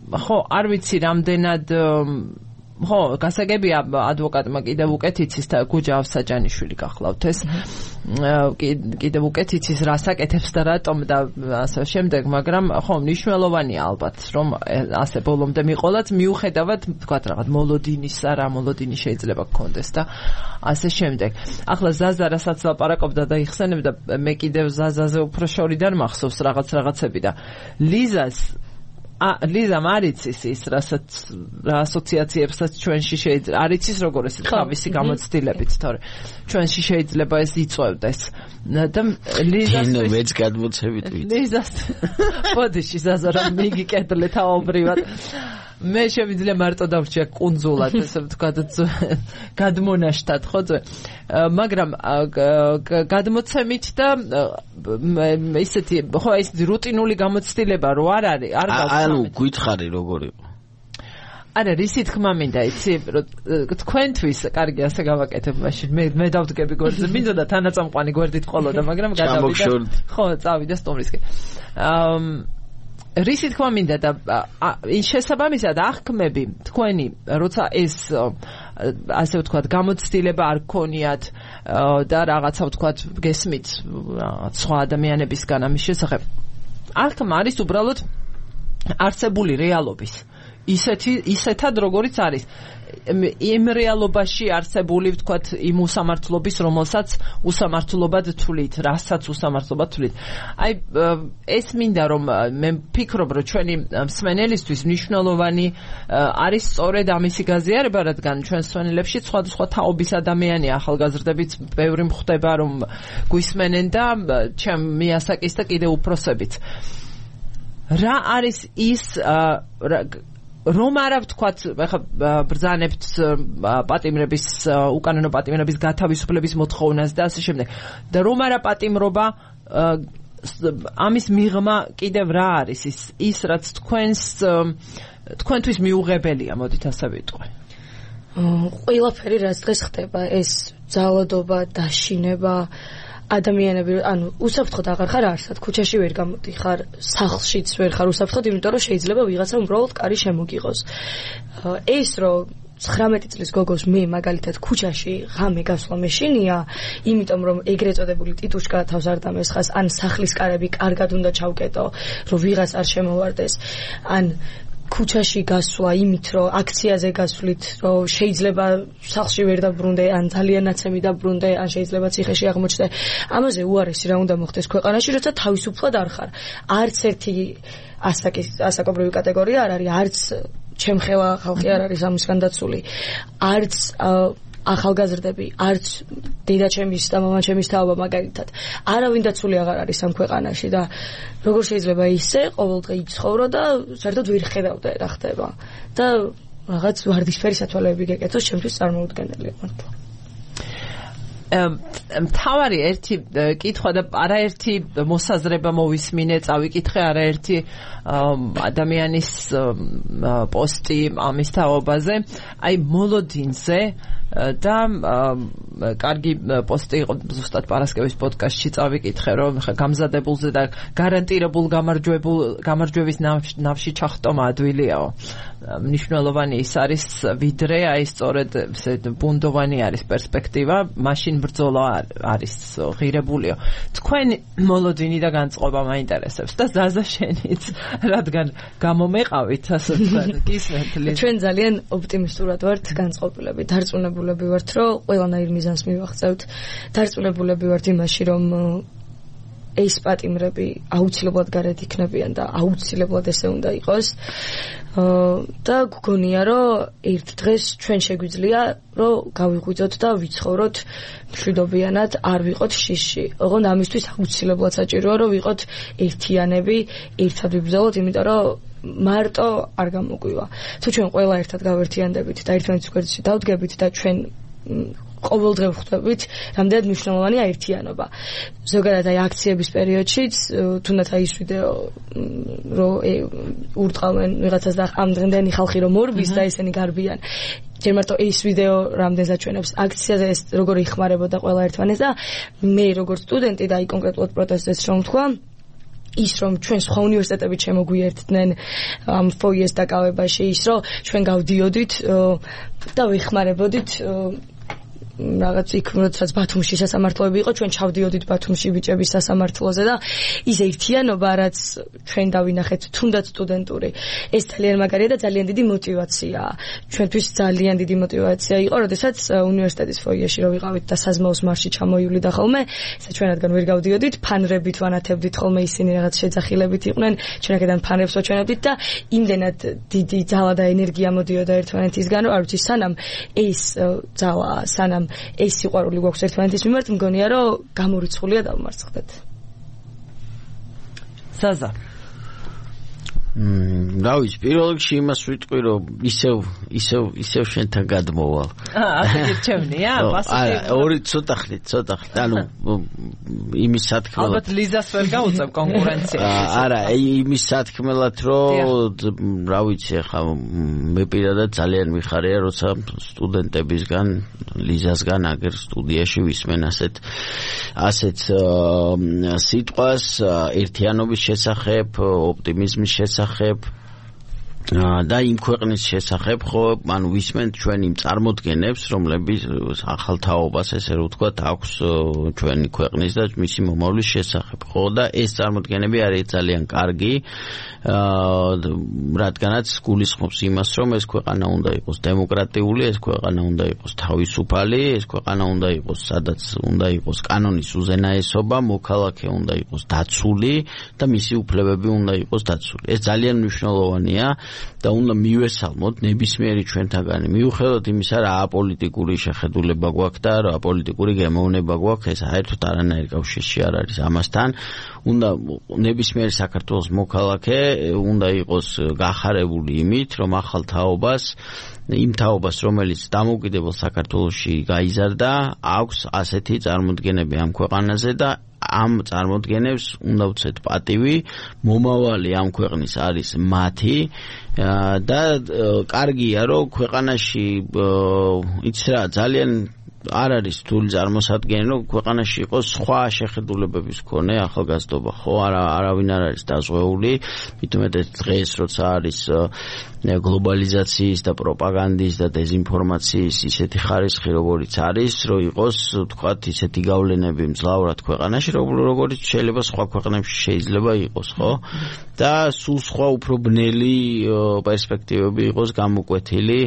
ხო, არ ვიცი რამდენად ხო, გასაგებია ადვოკატმა კიდევ უკეთ იცის და გუჯა ავსაჯანიშვილი გახლავთ ეს. კიდევ უკეთ იცის რა საკეთებს და რატომ და ასე შემდეგ, მაგრამ ხო, მნიშვნელოვანია ალბათ რომ ასე ბოლომდე მიყოლათ მიუხედავად თქვათ რაღაც მოლოდინისა რა მოლოდინი შეიძლება გქონდეს და ასე შემდეგ. ახლა ზაზა რასაც ლაპარაკობდა და იხსენებდა მე კიდევ ზაზაზე უფრო შორიდან მახსოვს რაღაც რაღაცები და ლიზას ა ლიზა მარიცის ის რასაც რა ასოციაციებსაც ჩვენში შეიძლება არ იცის როგორ ეს თავისი გამოცდილებით თორე ჩვენში შეიძლება ეს იწვევდეს და ლიზას ნუ მეც გადმოცებით ვიცი ლიზას პოდიში ზაზა რომ მიგიკეთლე თავობრივად მე შემიძლია მარტო დავრჩია კუნძულად ესე ვთქვათ გადმონაშთად ხო ძვე მაგრამ გადმოცემით და ისეთი ხო ეს რუტინული გამოცდილება რო არ არის არ გავხსნა ანუ გითხარი როგორ იყო არა რისი თქმა მინდა იცი თქვენთვის კარგი ასე გავაკეთებ მაშინ მე მე დავდგები გვერდზე მინდოდა თანაწამყვანი გვერდით ყოლოდა მაგრამ გადავიდა ხო წავიდა სტუმრისკენ აა რისი თქმა მინდა და შესაბამისად აღქმები თქვენი როცა ეს ასე ვთქვათ გამოცდილება არ გქონიათ და რაღაცა ვთქვათ გესმით რაღაც სხვა ადამიანებისგან ამის შესახებ აღქმა არის უბრალოდ არსებული რეალობის ისეთი ისეთად როგორიც არის იმ რეალობაში არსებული ვთქვათ იმ უსამართლობის რომელსაც უსამართლობად თვლით რასაც უსამართლობად თვლით აი ეს მინდა რომ მე ვფიქრობ რომ ჩვენი მსმენელისთვის მნიშვნელოვანი არის სწორედ ამისი გაზიარება რადგან ჩვენ მსმენელებში სხვადასხვა თაობის ადამიანია ახალგაზრდებით ბევრი მხდება რომ გვისმენენ და ჩემ მიასაკის და კიდევ უფროსებით რა არის ის რომ არა ვთქვათ ახლა ბრძანებთ პატიმრების უკანონო პატიმრების გათავისუფლების მოთხოვნას და ასე შემდეგ და რომ არა პატიმრობა ამის მიღმა კიდევ რა არის ის ის რაც თქვენს თქვენთვის მიუღებელია მოდით ასე ვიტყვი ყველაფერი რაც დღეს ხდება ეს ძალადობა დაშინება ადამიანები ანუ უსაფრთხოდ აღარ ხარ არსად ქუჩაში ვერ გამოდიხარ სახლშიც ვერ ხარ უსაფრთხოდ იმიტომ რომ შეიძლება ვიღაცა უბრალოდ კარი შემოგიღოს ეს რომ ცხრამეტი წლის გოგოს მე მაგალითად ქუჩაში ღამე გასვლა მეშინია, იმიტომ რომ ეგრეთ წოდებული ტიტუშკა თავს არ დამესხას, ან სახლის კარები კარგად უნდა ჩავკეტო, რომ ვიღას არ შემოვარდეს, ან ქუჩაში გასვლა იმით, რომ აქციაზე გასვლით, რომ შეიძლება სახლში ვერ დაბრუნდე, ან ძალიან ნაცემი დაბრუნდე, ან შეიძლება ციხეში აღმოჩნდე. ამაზე უარესი რა უნდა მოხდეს ქვეყანაში, როცა თავისუფლად არ ხარ. არც ერთი ასაკის ასაკობრივი კატეგორია არ არის, არც ჩემხელა ხალხი არ არის ამისგან დაცული. არც ახალგაზრდები, არც დედაჩემის და მამაჩემის თაობა მაგალითად. არავინ დაცული აღარ არის ამ ქვეყანაში და როგორ შეიძლება ისე ყოველდღე იცხოვრო და საერთოდ ვერ ხედავდე რა ხდება. და რაღაც ვარდისფერი სათვალეები გეკეთოს, ჩემთვის წარმოუდგენელია მართლა. მთავარი ერთი კითხვა და არაერთი მოსაზრება მოვისმინე, წავიკითხე არაერთი ადამიანის პოსტი ამის თაობაზე, აი მოლოდინზე და კარგი პოსტი იყო ზუსტად პარასკევის პოდკასტში წავიკითხე, რომ გამზადებულზე და გარანტირებულ გამარჯვებულ გამარჯვების ნავში ჩახტომა ადვილიაო. მნიშვნელოვანი ის არის, ვიდრე აი სწორედ ბუნდოვანი არის პერსპექტივა, მაშინ ბრძოლა არის ღირებულიო. თქვენი მოლოდინი და განწყობა მაინტერესებს და ზაზა შენიც, რადგან გამომეყავით, ასე ვთქვათ, გისმენთ ლიზა. ჩვენ ძალიან ოპტიმისტურად ვართ განწყობილები, დარწმუნებულები ვართ, რომ ყველანაირ მიზანს მივაღწევთ. დარწმუნებულები ვართ იმაში, რომ ეს პატიმრები აუცილებლად გარეთ იქნებიან და აუცილებლად ესე უნდა იყოს. და გგონია, რომ ერთ დღეს ჩვენ შეგვიძლია, რომ გავიღვიძოთ და ვიცხოვროთ მშვიდობიანად, არ ვიყოთ შიში. ოღონდ ამისთვის აუცილებლად საჭიროა, რომ ვიყოთ ერთიანები, ერთად ვიბრძოლოთ, იმიტომ რომ მარტო არ გამოგვივა. თუ ჩვენ ყველა ერთად გავერთიანდებით და ერთმანეთის გვერდში დავდგებით და ჩვენ ყოველდღე ვხვდებით, რამდენად მნიშვნელოვანია ერთიანობა. ზოგადად აი აქციების პერიოდშიც, თუნდაც აი ის ვიდეო, რომ ურტყავენ ვიღაცას და ამ დღემდენი ხალხი რომ მორბის და ესენი გარბიან. ჯერ მარტო ეს ვიდეო რამდენს აჩვენებს აქციაზე ეს როგორ იხმარებოდა ყველა ერთმანეს და მე როგორც სტუდენტი და აი კონკრეტულად პროტესტს რომ თქვა, ის რომ ჩვენ სხვა უნივერსიტეტებით შემოგვიერთდნენ ამ ფოიეს დაკავებაში, ის რომ ჩვენ გავდიოდით და ვიხმარებოდით რაღაც იქ როდესაც ბათუმში სასამართლოები იყო, ჩვენ ჩავდიოდით ბათუმში ბიჭების სასამართლოზე და ის ერთიანობა, რაც ჩვენ დავინახეთ, თუნდაც სტუდენტური, ეს ძალიან მაგარია და ძალიან დიდი мотиваციაა. ჩვენთვის ძალიან დიდი мотиваცია იყო, როდესაც უნივერსიტეტის ფოიეში რო ვიყავით და საზმაოს მარში ჩამოივლიდა ხოლმე, ესა ჩვენ რადგან ვერ გავდიოდით, ფანრებით ვანათებდით ხოლმე, ისინი რაღაც შეძახილებით იყვნენ, ჩვენ აქედან ფანრებს ვაჩვენებდით და იმდენად დიდი ძალა და ენერგია მოდიოდა ერთმანეთისგან, რომ არ ვიცი, სანამ ეს ძალა, სანამ ეს სიყვარული გვაქვს ერთმანეთის მიმართ, მგონია, რომ გამორიცხულია დავმარცხდეთ. ზაზა. მმ, რა ვიცი, პირველ რიგში იმას ვიტყვი, რომ ისევ ისევ ისევ შენთან გადმოვალ. აა, ასე გირჩევნია? არა, ორი ცოტა ხნით, ცოტა ხნით. ანუ იმის სათქმელად. ალბათ ლიზას ვერ გაუწევ კონკურენციაში. არა, იმის სათქმელად, რომ რა ვიცი, ახლა მე პირადად ძალიან მიხარია, როცა სტუდენტებისგან, ლიზასგან აგერ სტუდიაში ვისმენ ასეთ ასეთ სიტყვას ერთიანობის შესახებ, ოპტიმიზმის შესახებ და იმ ქვეყნის შესახებ, ხო, ანუ ვისმენთ ჩვენ იმ წარმოდგენებს, რომლებიც ახალ თაობას, ესე რომ ვთქვათ, აქვს ჩვენი ქვეყნის და მისი მომავლის შესახებ, ხო, და ეს წარმოდგენები არის ძალიან კარგი, რადგანაც გულისხმობს იმას, რომ ეს ქვეყანა უნდა იყოს დემოკრატიული, ეს ქვეყანა უნდა იყოს თავისუფალი, ეს ქვეყანა უნდა იყოს, სადაც უნდა იყოს კანონის უზენაესობა, მოქალაქე უნდა იყოს დაცული და მისი უფლებები უნდა იყოს დაცული. ეს ძალიან მნიშვნელოვანია და უნდა მივესალმოთ ნებისმიერი ჩვენთაგანი. მიუხედავად იმისა, რა აპოლიტიკური შეხედულება გვაქვს და რა აპოლიტიკური გემოვნება გვაქვს, ეს საერთოდ არანაირ კავშირში არ არის ამასთან. უნდა ნებისმიერი საქართველოს მოქალაქე უნდა იყოს გახარებული იმით, რომ ახალ თაობას, იმ თაობას, რომელიც დამოუკიდებელ საქართველოში გაიზარდა, აქვს ასეთი წარმოდგენები ამ ქვეყანაზე და ამ წარმოდგენებს უნდა ვცეთ პატივი, მომავალი ამ ქვეყნის არის მათი და კარგია, რომ ქვეყანაში იცი რა, ძალიან არ არის რთული წარმოსადგენელი, რომ ქვეყანაში იყოს სხვა შეხედულებების მქონე ახალგაზრდობა, ხო? არა, არავინ არ არის დაზღვეული, მithumetet დღეს როცა არის გლობალიზაციის და პროპაგანდის და დეзинფორმაციის ისეთი ხარისხი, როგორიც არის, რომ იყოს, თქვათ, ისეთი გავლენები მძლავრად ქვეყანაში, როგორც შეიძლება სხვა ქვეყნებში შეიძლება იყოს, ხო? და სულ სხვა უფრო ბნელი პერსპექტივები იყოს გამოკვეთილი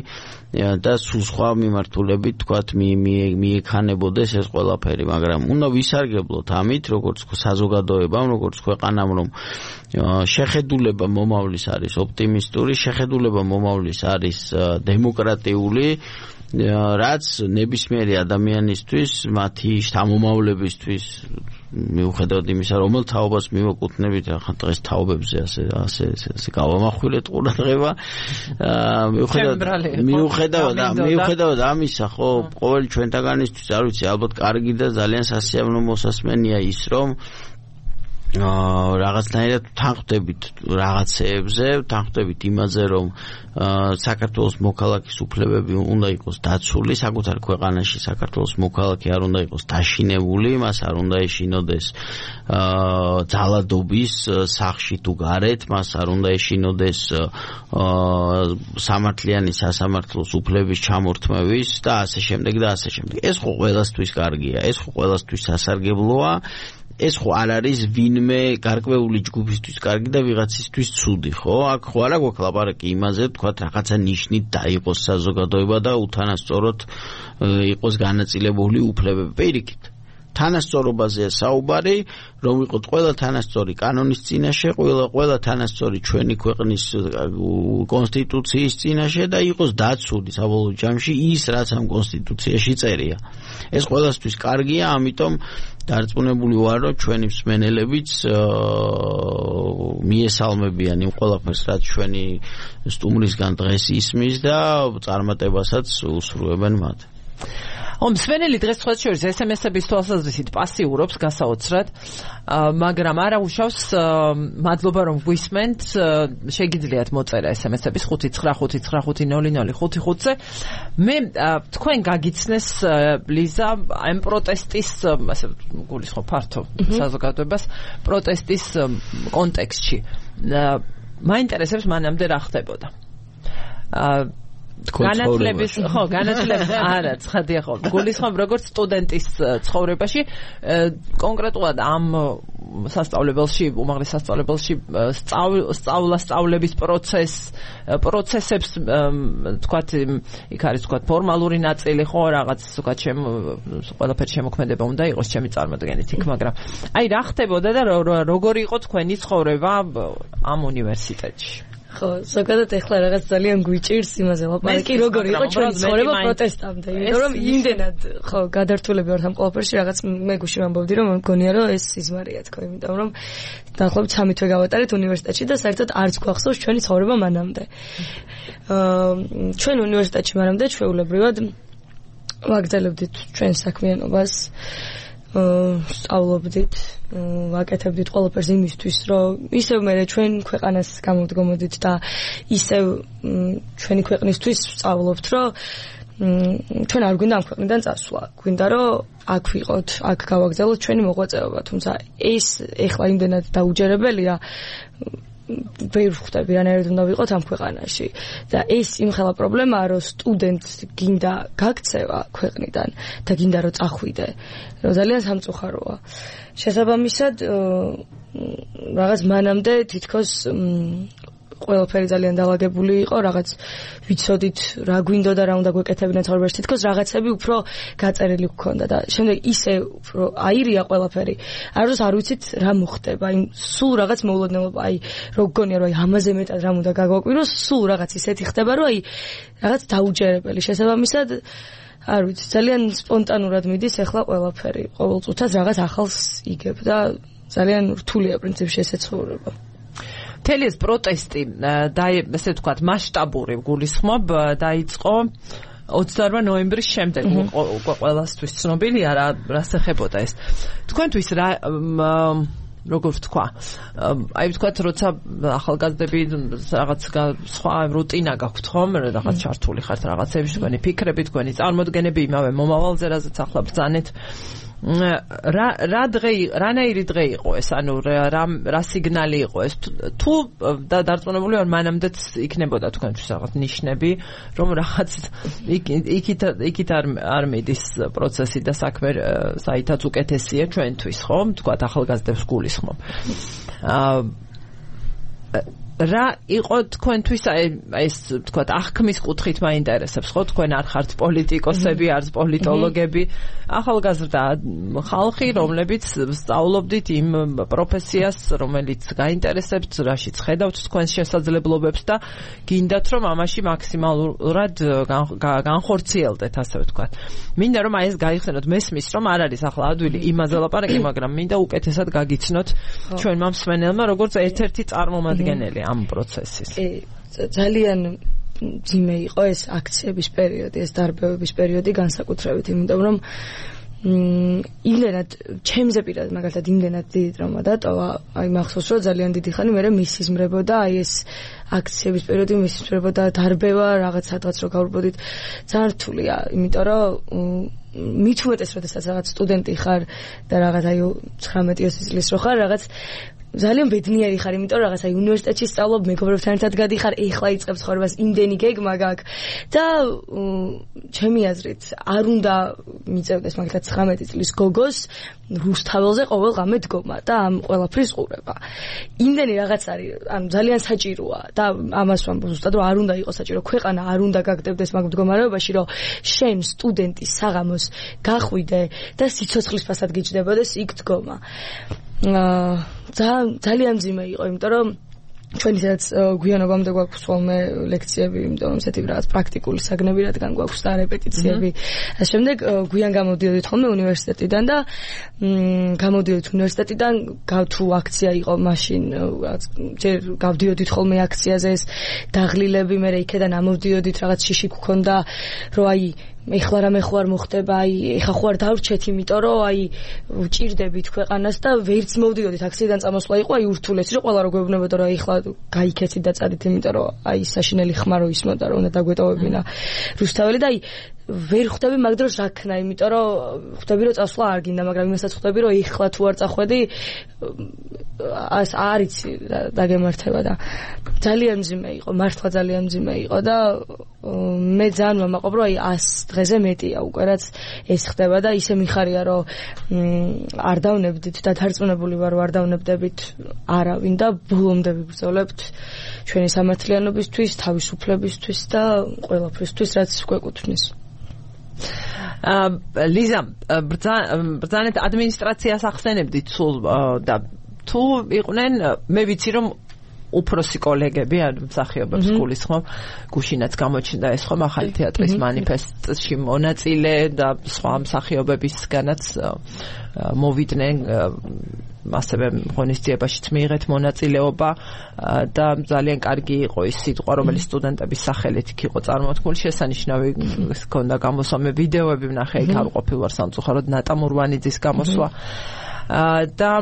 და სულ სხვა მიმართულებით, თქვათ, მიექანებოდეს ეს ყველაფერი, მაგრამ უნდა ვისარგებლოთ ამით, როგორც საზოგადოებამ, როგორც ქვეყანამ, რომ შეხედულება მომავლის არის ოპტიმისტური, შეხედულება მომავლის არის დემოკრატიული, რაც ნებისმიერი ადამიანისთვის, მათი შთამომავლებისთვის, მიუხედავად იმისა, რომელ თაობას მივაკუთვნებით, ახლა დღეს თაობებზე ასე ასე ასე გავამახვილეთ ყურადღება, მიუხედავად მიუხედავად მიუხედავად ამისა, ხო, ყოველი ჩვენთაგანისთვის, არ ვიცი, ალბათ კარგი და ძალიან სასიამოვნო მოსასმენია ის, რომ აა რაღაცნაირად თანხმდებით რაღაცეებზე, თანხმდებით იმაზე, რომ საქართველოს მოქალაქის უფლებები უნდა იყოს დაცული, საკუთარ ქვეყანაში საქართველოს მოქალაქე არ უნდა იყოს დაშინებული, მას არ უნდა ეშინოდეს აა ძალადობის სახში თუ გარეთ, მას არ უნდა ეშინოდეს აა სამართლიანი სასამართლოს უფლების ჩამორთმევის და ასე შემდეგ და ასე შემდეგ. ეს ხო ყველასთვის კარგია, ეს ხო ყველასთვის სასარგებლოა. ეს ხო არ არის ვინმე გარკვეული ჯგუფისთვის კარგი და ვიღაცისთვის ცუდი, ხო? აქ ხო არა გვაქვს ლაპარაკი იმაზე, თქვათ, რაღაცა ნიშნით დაიყოს საზოგადოება და უთანასწოროდ იყოს განაწილებული უფლებები. პირიქით, თანასწორობაზეა საუბარი, რომ იყოთ ყველა თანასწორი კანონის წინაშე, ყველა ყველა თანასწორი ჩვენი ქვეყნის კონსტიტუციის წინაშე და იყოს დაცული საბოლოო ჯამში ის, რაც ამ კონსტიტუციაში წერია. ეს ყველასთვის კარგია, ამიტომ დარწმუნებული ვარ, რომ ჩვენი მსმენელებიც მიესალმებიან იმ ყველაფერს, რაც ჩვენი სტუმრისგან დღეს ისმის და წარმატებასაც უსურვებენ მათ. ომ მსმენელი დღეს სხვა შორის ეს ემ ეს-ების თვალსაზრისით პასიურობს გასაოცრად, მაგრამ არა უშავს მადლობა რომ გვისმენთ, შეგიძლიათ მოწერა ეს ემ ეს-ების ხუთი ცხრა ხუთი ცხრა ხუთი ნული ნული ხუთი ხუთზე. მე თქვენ გაგიცნეს ლიზა ამ პროტესტის, ასე გულისხმობ ფართო საზოგადოებას, პროტესტის კონტექსტში. მაინტერესებს მანამდე რა ხდებოდა. განათლების ხო განათლების არა ცხადია ხო გულისხმობ როგორც სტუდენტის ცხოვრებაში კონკრეტულად ამ სასწავლებელში უმაღლეს სასწავლებელში სწავლა სწავლების პროცეს პროცესებს თქვათ იქ არის თქვათ ფორმალური ნაწილი ხო რაღაც თქვათ ჩემ ყველაფერი შემოქმედება უნდა იყოს ჩემი წარმოდგენით იქ მაგრამ აი რა ხდებოდა და როგორი იყო თქვენი ცხოვრება ამ უნივერსიტეტში ხო, ზოგადად ეხლა რაღაც ძალიან გვიჭირს იმაზე ლაპარაკი, როგორ იყო ჩვენი ცხოვრება პროტესტამდე. იმიტომ რომ იმდენად ხო, გადართულები ვართ ამ ყველაფერში, რაღაც მე გუში ვამბობდი, რომ მგონია, რომ ეს სიზმარია თქო, იმიტომ რომ დაახლოებით სამი თვე გავატარეთ უნივერსიტეტში და საერთოდ არც გვახსოვს ჩვენი ცხოვრება მანამდე. აა ჩვენ უნივერსიტეტში მანამდე ჩვეულებრივად ვაგრძელებდით ჩვენ საქმიანობას. სწავლობდით, ვაკეთებდით ყველაფერს იმისთვის, რომ ისევ მე ჩვენ ქვეყანას გამოვდგომოდით და ისევ ჩვენი ქვეყნისთვის სწავლობთ, რომ ჩვენ არ გვინდა ამ ქვეყნიდან წასვლა. გვინდა, რომ აქ ვიყოთ, აქ გავაგრძელოთ ჩვენი მოღვაწეობა, თუმცა ეს ეხლა იმდენად დაუჯერებელია ვერ ხვდები რანაირად უნდა ვიყოთ ამ ქვეყანაში და ეს იმხელა პრობლემაა რომ სტუდენტს გინდა გაქცევა ქვეყნიდან და გინდა რომ წახვიდე რომ ძალიან სამწუხაროა შესაბამისად რაღაც მანამდე თითქოს ყველაფერი ძალიან დაალაგებული იყო, რაღაც ვიცოდით რა გვინდოდა და რა უნდა გვეკეთებინა ცხოვრებაში, თითქოს რაღაცები უფრო გაწერილი გქონდა და შემდეგ ისე უფრო აირია ყველაფერი. არც არ ვიცით რა მოხდება, იმ სულ რაღაც მოულოდნელობა, აი რო გგონია რომ აი ამაზე მეტად რა უნდა გაგვაკვიროს, სულ რაღაც ისეთი ხდება, რომ აი რაღაც დაუჯერებელი. შესაბამისად არ ვიცი, ძალიან სპონტანურად მიდის ახლა ყველაფერი. ყოველ წუთას რაღაც ახალს იგებ და ძალიან რთულია პრინციპში ესე ცხოვრება. მთელი ეს პროტესტი და ესე ვთქვათ მასშტაბური გულისხმობ დაიწყო ოცდაორმა ნოემბრის შემდეგ ყველასთვის ცნობილია რა რას ეხებოდა ეს თქვენთვის რა როგორ ვთქვა, აი ვთქვათ, როცა ახალგაზრდები რაღაც სხვა რუტინა გაქვთ ხომ, რაღაც ჩართული ხართ რაღაცებში, თქვენი ფიქრები, თქვენი წარმოდგენები იმავე მომავალზე, რაზეც ახლა ბრძანეთ. რა რა დღე რანაირი დღე იყო ეს, ანუ რა რა სიგნალი იყო ეს, თუ დარწმუნებული ვარ მანამდეც იქნებოდა თქვენთვის რაღაც ნიშნები, რომ რაღაც იქით იქით არ არ მიდის პროცესი და საქმე საითაც უკეთესია ჩვენთვის, ხომ? თქვა ახალგაზრდებს გულისხმობ. რა იყო თქვენთვის აი ეს თქვა აღქმის კუთხით მაინტერესებს, ხო? თქვენ არ ხართ პოლიტიკოსები, არც პოლიტოლოგები, ახალგაზრდა ხალხი, რომლებიც სწავლობდით იმ პროფესიას, რომელიც გაინტერესებთ, რაშიც ხედავთ თქვენს შესაძლებლობებს და გინდათ რომ ამაში მაქსიმალურად განხორციელდეთ, ასე ვთქვათ. მინდა რომ აი ეს გაიხსენოთ, მესმის რომ არ არის ახლა ადვილი იმაზე ლაპარაკი, მაგრამ მინდა უკეთესად გაგიცნოთ ჩვენმა მსმენელმა, როგორც ერთ-ერთი წარმომადგენელი ამ პროცესის. ძალიან ძიმე იყო ეს აქციების პერიოდი, ეს დარბევების პერიოდი განსაკუთრებით, იმიტომ რომ იმდენად ჩემზე პირად მაგალითად იმდენად დიდი ტრაუმა დატოვა, აი მახსოვს რომ ძალიან დიდი ხანი მე მისიზმრებოდა აი ეს აქციების პერიოდი მისიზმრებოდა დარბევა რაღაც სადღაც რო გავვრბოდით, ძალიან რთულია, იმიტომ რომ მით უმეტეს როდესაც რაღაც სტუდენტი ხარ და რაღაც აი ცხრამეტი ოცი წლის რო ხარ, რაღაც ძალიან ბედნიერი ხარ, იმიტომ რომ რაღაც აი უნივერსიტეტში სწავლობ, მეგობრებთან ერთად გადიხარ, ეხლა იწყებს ცხოვრებას, იმდენი გეგმა გაქვს და ჩემი აზრით არ უნდა მიწევდეს მაგალითად ცხრამეტი წლის გოგოს რუსთაველზე ყოველ ღამე დგომა და ამ ყველაფრის ყურება. იმდენი რაღაც არის, ანუ ძალიან საჭიროა და ამას ვამბობ ზუსტად რომ არ უნდა იყოს საჭირო, ქვეყანა არ უნდა გაგდებდეს მაგ მდგომარეობაში, რომ შენ სტუდენტი საღამოს გახვიდე და სიცოცხლის ფასად გიჯდებოდეს იქ დგომა. აა ძალიან ძიმე იყო, იმიტომ რომ ჩვენ ისედაც გვიანობამდე გვაქვს ხოლმე ლექციები, იმიტომ რომ ესეთი რაღაც პრაქტიკული საგნები რადგან გვაქვს და რეპეტიციები. ამ შემდეგ გვიან გამოდიოდით ხოლმე უნივერსიტეტიდან და გამოდიოდით უნივერსიტეტიდან, თუ აქცია იყო მაშინ, ჯერ გავდიოდით ხოლმე აქციაზე, ეს დაღლილები, მე იქედან ამოვდიოდით, რაღაც შიში გქონდა, რომ აი ეხლა რამე ხო არ მოხდება, აი ეხა ხო არ დავრჩეთ, იმიტომ რომ აი ვჭირდებით ქვეყანას და ვერც მოვდიოდით აქციიდან წამოსვლა იყო, აი ურთულესი რომ ყველა რო გვეუბნებოდა რომ ეხლა გაიქეცით და წადით, იმიტომ რომ აი საშინელი ხმა რო ისმოდა რომ უნდა დაგვეტოვებინა რუსთაველი და აი ვერ ხვდები მაგ დროს რა ქნა, იმიტომ რომ ხვდები რომ წასვლა არ გინდა, მაგრამ იმასაც ხვდები რომ ეხლა თუ არ წახვედი ას არიცი დაგემართება და ძალიან მძიმე იყო, მართლა ძალიან მძიმე იყო და მე ძალიან ვამაყობ რომ აი ას დღეზე მეტია უკვე რაც ეს ხდება და ისე მიხარია რომ არ დავნებდით და დარწმუნებული ვარ რომ არ დავნებდებით არავინ და ბოლომდე ვიბრძოლებთ ჩვენი სამართლიანობისთვის, თავისუფლებისთვის და ყველაფრისთვის რაც გვეკუთვნის. ლიზა, ბრძანეთ ადმინისტრაციას ახსენებდით სულ და თუ იყვნენ, მე ვიცი რომ უფროსი კოლეგები, ანუ მსახიობებს გულისხმობ, გუშინაც გამოჩნდა ეს ხომ ახალი თეატრის მანიფესტში მონაწილე და სხვა მსახიობებისგანაც მოვიდნენ, ასევე ღონისძიებაშიც მიიღეთ მონაწილეობა და ძალიან კარგი იყო ის სიტყვა, რომელიც სტუდენტების სახელით იქ იყო წარმოთქმული, შესანიშნავი ჰქონდა გამოსვლა, მე ვიდეოები ვნახე, იქ არ ყოფილ ვარ სამწუხაროდ, ნატა მურვანიძის გამოსვლა და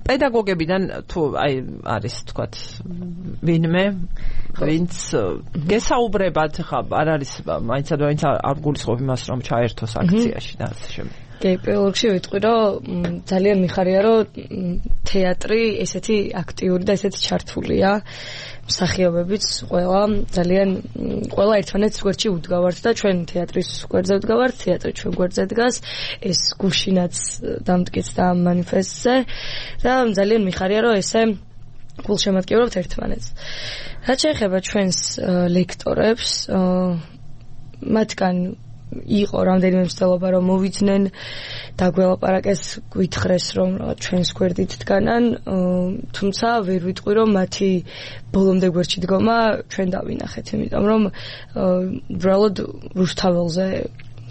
პედაგოგებიდან თუ აი არის თქვათ ვინმე ვინც გესაუბრებათ, ხა არ არის მაინც მაინც არ გულისხმობ იმას რომ ჩაერთოს აქციაში და ასე შემდეგ. კი, პირველ რიგში ვიტყვი რომ ძალიან მიხარია რომ თეატრი ესეთი აქტიური და ესეთი ჩართულია, მსახიობებიც ყველა ძალიან ყველა ერთმანეთს გვერდში უდგავართ და ჩვენ თეატრის გვერდზე ვდგავართ, თეატრი ჩვენ გვერდზე დგას, ეს გუშინაც დამტკიცდა ამ მანიფესტზე და ძალიან მიხარია რომ ესე გულშემატკივრობთ ერთმანეთს. რაც შეეხება ჩვენს ლექტორებს, მათგან იყო რამდენიმე მცდელობა რომ მოვიძნენ და გველაპარაკეს, გვითხრეს რომ ჩვენს გვერდით დგანან, თუმცა ვერ ვიტყვი რომ მათი ბოლომდე გვერდში დგომა ჩვენ დავინახეთ, იმიტომ რომ უბრალოდ რუსთაველზე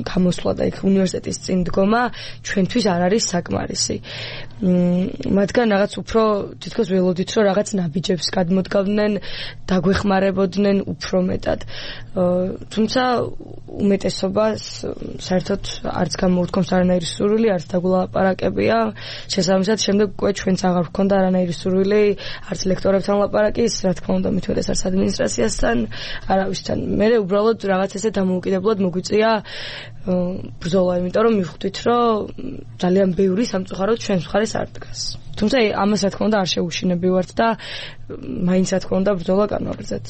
გამოსვლა და იქ უნივერსიტეტის წინ დგომა ჩვენთვის არ არის საკმარისი. მათგან რაღაც უფრო თითქოს ველოდით რომ რაღაც ნაბიჯებს გადმოდგავდნენ, დაგვეხმარებოდნენ უფრო მეტად. თუმცა უმეტესობას საერთოდ არც გამოუთქვამს არანაირი სურვილი, არც დაგულაპარაკებია. შესაბამისად, შემდეგ უკვე ჩვენც აღარ გვქონდა არანაირი სურვილი, არც ლექტორებთან ლაპარაკის, რა თქმა უნდა, მით უმეტეს არც ადმინისტრაციასთან, არავისთან. მე უბრალოდ რაღაც ესე დამოუკიდებლად მოგვიწია ბრძოლა, იმიტომ რომ მივხვდით, რომ ძალიან ბევრი სამწუხაროდ ჩვენს მხარეს არ დგას. თუმცა ამას რა თქმა უნდა არ შეუშინებივართ და მაინც რა თქმა უნდა ბრძოლა განვაგრძელეთ.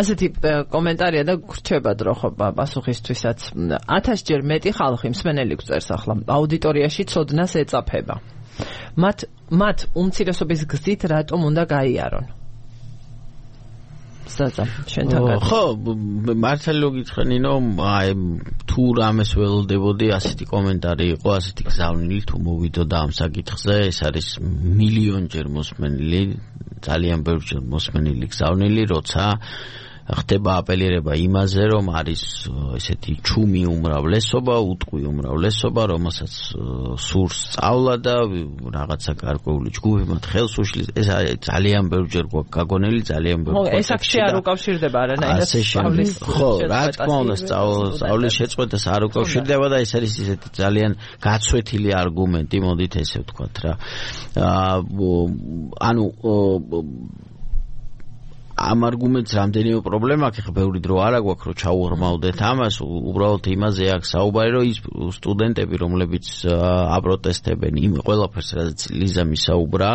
ასეთი კომენტარია და გრჩება დრო ხო პასუხისთვისაც. ათასჯერ მეტი ხალხი მსმენელი გწერს ახლა აუდიტორიაში ცოდნას ეწაფება. მათ მათ უმცირესობის გზით რატომ უნდა გაიარონ? ზაზა, შენთან გადა. ხო, მართალი რო გითხრინო, აი თუ რამეს ველოდებოდი, ასეთი კომენტარი იყო, ასეთი გზავნილი თუ მოვიდოდა ამ საკითხზე, ეს არის მილიონჯერ მოსმენილი, ძალიან ბევრჯერ მოსმენილი გზავნილი, როცა ხდება აპელირება იმაზე, რომ არის ესეთი ჩუმი უმრავლესობა, უტყვი უმრავლესობა, რომელსაც სურს სწავლა და რაღაცა გარკვეული ჯგუფი მათ ხელს უშლის. ეს ძალიან ბევრჯერ გვაქვს გაგონილი, ძალიან ბევრ ხო, ეს აქ არ უკავშირდება არანაირად სწავლის. ხო, რა თქმა უნდა, სწავლის შეწყვეტას არ უკავშირდება და ეს არის ესეთი ძალიან გაცვეთილი არგუმენტი, მოდით ესე ვთქვათ რა. ანუ ამ არგუმენტს რამდენიმე პრობლემა აქვს, ხა ბევრი დრო არა გვაქვს რომ ჩაუღრმავდეთ ამას, უბრალოდ იმაზე აქვს საუბარი, რომ ის სტუდენტები, რომლებიც აპროტესტებენ იმ ყველაფერს, რაც ლიზა მისაუბრა,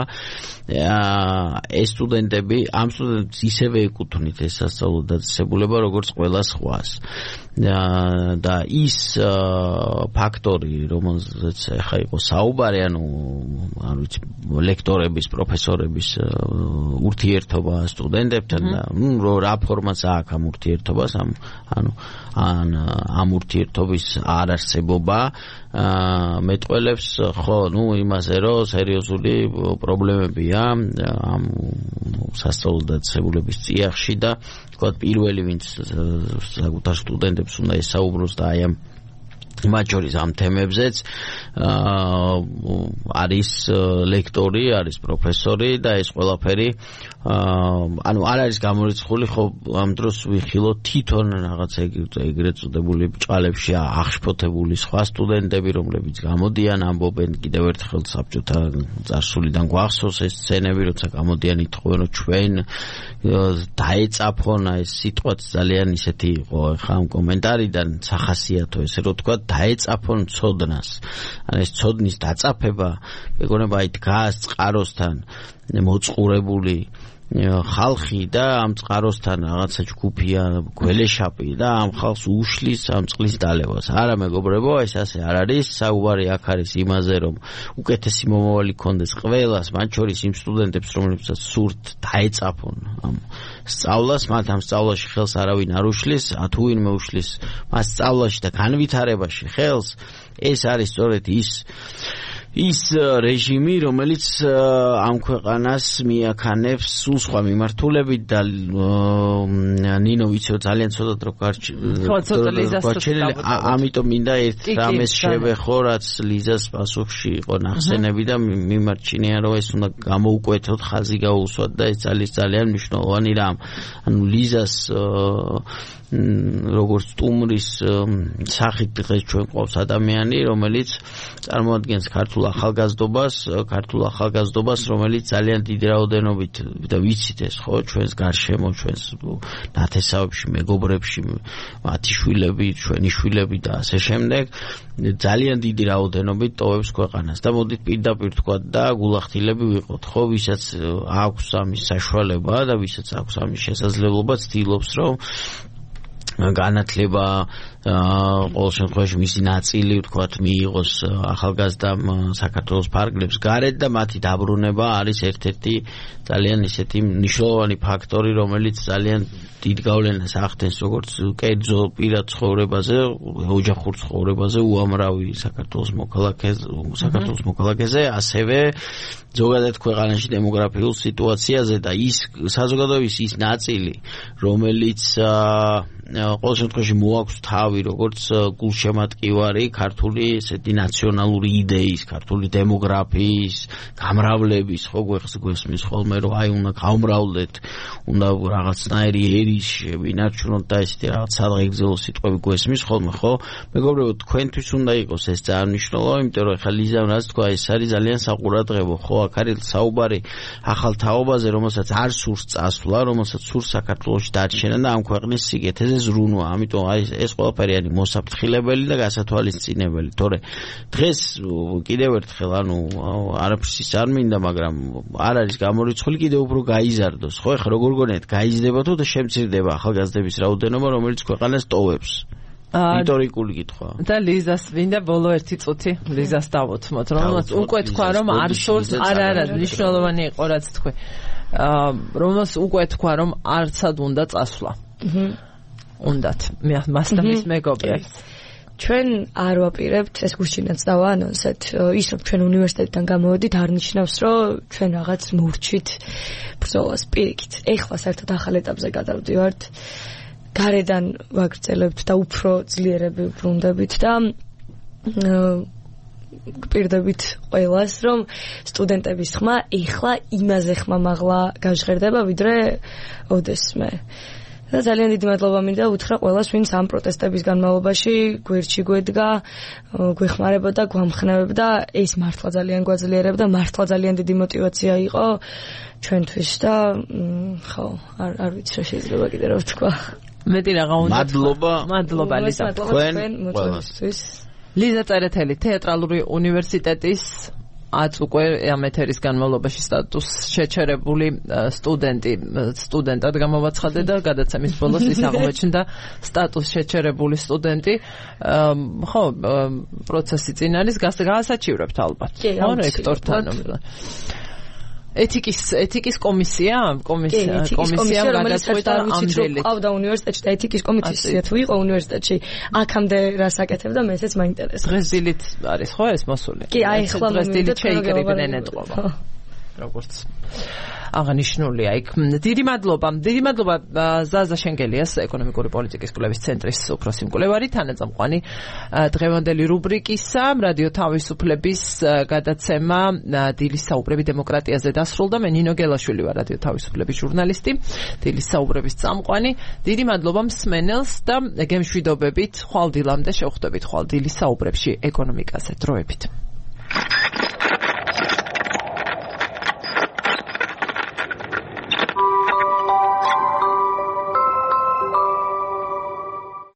ეს სტუდენტები, ამ სტუდენტებს ისევე ეკუთვნით ეს სასწავლო დაწესებულება, როგორც ყველა სხვას. და ის ფაქტორი, რომელზეც ახლა იყო საუბარი, ანუ არ ვიცი, ლექტორების, პროფესორების ურთიერთობა სტუდენტებთან და ნუ რა ფორმაც აქვს ამ ურთიერთობას, ამ ანუ ან ამ ურთიერთობის არარსებობა მეტყველებს ხო, ნუ იმაზე, რომ სერიოზული პრობლემებია ამ სასწავლო დაწესებულების წიაღში და თქვა პირველი ვინც საკუთარ სტუდენტებს უნდა ესაუბროს და აი ამ მათ შორის ამ თემებზეც არის ლექტორი, არის პროფესორი და ეს ყველაფერი ანუ არ არის გამორიცხული, ხო ამ დროს ვიხილოთ თვითონ რაღაცა ეგრეთ წოდებული ბჭყალებში აღშფოთებული სხვა სტუდენტები, რომლებიც გამოდიან, ამბობენ კიდევ ერთხელ საბჭოთა წარსულიდან გვახსოვს ეს სცენები, როცა გამოდიან ითხოვენ, რომ ჩვენ დაეწაფონ, ეს სიტყვაც ძალიან ისეთი იყო ხა ამ კომენტარიდან სახასიათო ესე რომ თქვა დაეწაფონ ცოდნას. ან ეს ცოდნის დაწაფება მეგონება აი დგას წყაროსთან მოწყურებული ხალხი და ამ წყაროსთან რაღაცა ჯგუფია გველეშაპი და ამ ხალხს უშლის ამ წყლის დალევას. არა მეგობრებო, ეს ასე არ არის. საუბარი აქ არის იმაზე, რომ უკეთესი მომავალი ქონდეს ყველას, მათ შორის იმ სტუდენტებს, რომლებსაც სურთ დაეწაფონ ამ სწავლას, მათ ამ სწავლაში ხელს არავინ არ უშლის, თუ ვინმე უშლის მას სწავლაში და განვითარებაში ხელს, ეს არის სწორედ ის ის რეჟიმი, რომელიც ამ ქვეყანას მიაქანებს სულ სხვა მიმართულებით და ნინო ვიცი ძალიან ცოტა დრო გარჩენილი, ამიტომ მინდა ერთ რამეს შევეხო, რაც ლიზას პასუხში იყო ნახსენები და მიმარჩინია, რომ ეს უნდა გამოუკვეთოთ, ხაზი გაუსვათ და ეს ძალიან ძალიან მნიშვნელოვანი რამ. ანუ ლიზას როგორც სტუმრის სახით დღეს ჩვენ ყავს ადამიანი, რომელიც წარმოადგენს ქართულ ახალგაზრდობას, ქართულ ახალგაზრდობას, რომელიც ძალიან დიდი რაოდენობით და ვიცით ეს ხო, ჩვენს გარშემო, ჩვენს ნათესავებში, მეგობრებში, მათი შვილები, ჩვენი შვილები და ასე შემდეგ, ძალიან დიდი რაოდენობით ტოვებს ქვეყანას და მოდით პირდაპირ თქვა და გულახდილები ვიყოთ, ხო, ვისაც აქვს ამის საშუალება და ვისაც აქვს ამის შესაძლებლობა, ცდილობს რომ განათლება ყოველ შემთხვევაში მისი ნაწილი ვთქვათ მიიღოს ახალგაზრდამ საქართველოს ფარგლებს გარეთ და მათი დაბრუნება არის ერთ-ერთი ძალიან ისეთი მნიშვნელოვანი ფაქტორი, რომელიც ძალიან დიდ გავლენას ახდენს როგორც კერძო პირად ცხოვრებაზე, ოჯახურ ცხოვრებაზე, უამრავი საქართველოს მოქალაქეზე, საქართველოს მოქალაქეზე, ასევე ზოგადად ქვეყანაში დემოგრაფიულ სიტუაციაზე და ის საზოგადოების ის ნაწილი, რომელიც ყოველ შემთხვევაში მოაქვს თავი როგორც გულშემატკივარი ქართული ესეთი ნაციონალური იდეის, ქართული დემოგრაფიის, გამრავლების, ხო გვესმის ხოლმე რომ აი უნდა გავმრავლდეთ, უნდა რაღაცნაირი ერის ვინარჩუნოთ და ესეთი რაღაც სადღეგრძელო სიტყვები გვესმის ხოლმე, ხო? მეგობრებო, თქვენთვის უნდა იყოს ეს ძალიან მნიშვნელოვანი, იმიტომ რომ ხა ლიზამ რაც თქვა, ეს არის ძალიან საყურადღებო, ხო? აქ არის საუბარი ახალ თაობაზე, რომელსაც არ სურს წასვლა, რომელსაც სურს საქართველოში დარჩენა და ამ ქვეყნის სიგეთეზე ზრუნვა. ამიტომ აი ეს ყველაფერი არის მოსაფრთხილებელი და გასათვალისწინებელი. თორე დღეს კიდევ ერთხელ ანუ არაფრის არ მინდა, მაგრამ არ არის გამორიცხული კიდევ უფრო გაიზარდოს. ხო, ეხლა როგორ გონიათ, გაიზრდება თუ და შემცირდება ახალგაზრდების რაოდენობა, რომელიც ქვეყანას ტოვებს? ისტორიკული კითხვა. და ლიზას მინდა ბოლო ერთი წუთი ლიზას დავუთმოთ, რომელსაც უკვე თქვა რომ არ სურს, არა არა, მნიშვნელოვანი იყო რაც თქვი. აა რომელსაც უკვე თქვა რომ არცად უნდა წასვლა. აჰა. უნდათ მასთან მის მეგობრებს. ჩვენ არ ვაპირებთ, ეს გუშინაც დავაანონსეთ, ის რომ ჩვენ უნივერსიტეტიდან გამოვედით არ ნიშნავს, რომ ჩვენ რაღაც მურჩით ბრძოლას პირიქით. ეხლა საერთოდ ახალ ეტაპზე გადავდივართ. გარედან ვაგრძელებთ და უფრო ძლიერები ვბრუნდებით და გპირდებით ყველას, რომ სტუდენტების ხმა ეხლა იმაზე ხმამაღლა გაჟღერდება, ვიდრე ოდესმე. და ძალიან დიდი მადლობა მინდა უთხრა ყველას, ვინც ამ პროტესტების განმავლობაში გვერდში გვედგა, გვეხმარებოდა, გვამხნევებდა, ეს მართლა ძალიან გვაძლიერებდა, მართლა ძალიან დიდი мотиваცია იყო ჩვენთვის და ხო, არ არ ვიცი რა შეიძლება კიდე რა ვთქვა. მეტი რა უნდა მადლობა. მადლობა ლიზა თქვენ ყველასთვის. ლიზა წერეთელი, თეატრალური უნივერსიტეტის ათ უკვე ამ ეთერის განმავლობაში სტატუს შეჩერებული სტუდენტი სტუდენტად გამოვაცხადე და გადაცემის ბოლოს ის აღმოჩნდა სტატუს შეჩერებული სტუდენტი. ხო, პროცესი წინ არის, გასაჩივრებთ ალბათ. ხო, რექტორთან. ეთიკის ეთიკის კომისია კომისია კომისია გადაწყვეტა ამდელი ყავდა უნივერსიტეტში და ეთიკის კომისია თუ იყო უნივერსიტეტში აქამდე რას აკეთებდა მე ესეც მაინტერესებს. დღეს დილით არის ხო ეს მოსული? კი, აი ხლა დღეს დილით შეიკრიბნენ ეთყობა. როგორც აღნიშნულია იქ. დიდი მადლობა. დიდი მადლობა ზაზა შენგელიას, ეკონომიკური პოლიტიკის კვლევის ცენტრის უფროსი მკვლევარი, თანაწამყვანი დღევანდელი რუბრიკისა რადიო თავისუფლების გადაცემა დილის საუბრები დემოკრატიაზე დასრულდა. მე ნინო გელაშვილი ვარ, რადიო თავისუფლების ჟურნალისტი, დილის საუბრების წამყვანი. დიდი მადლობა მსმენელს და გემშვიდობებით ხვალ დილამდე შევხვდებით ხვალ დილის საუბრებში ეკონომიკაზე. დროებით.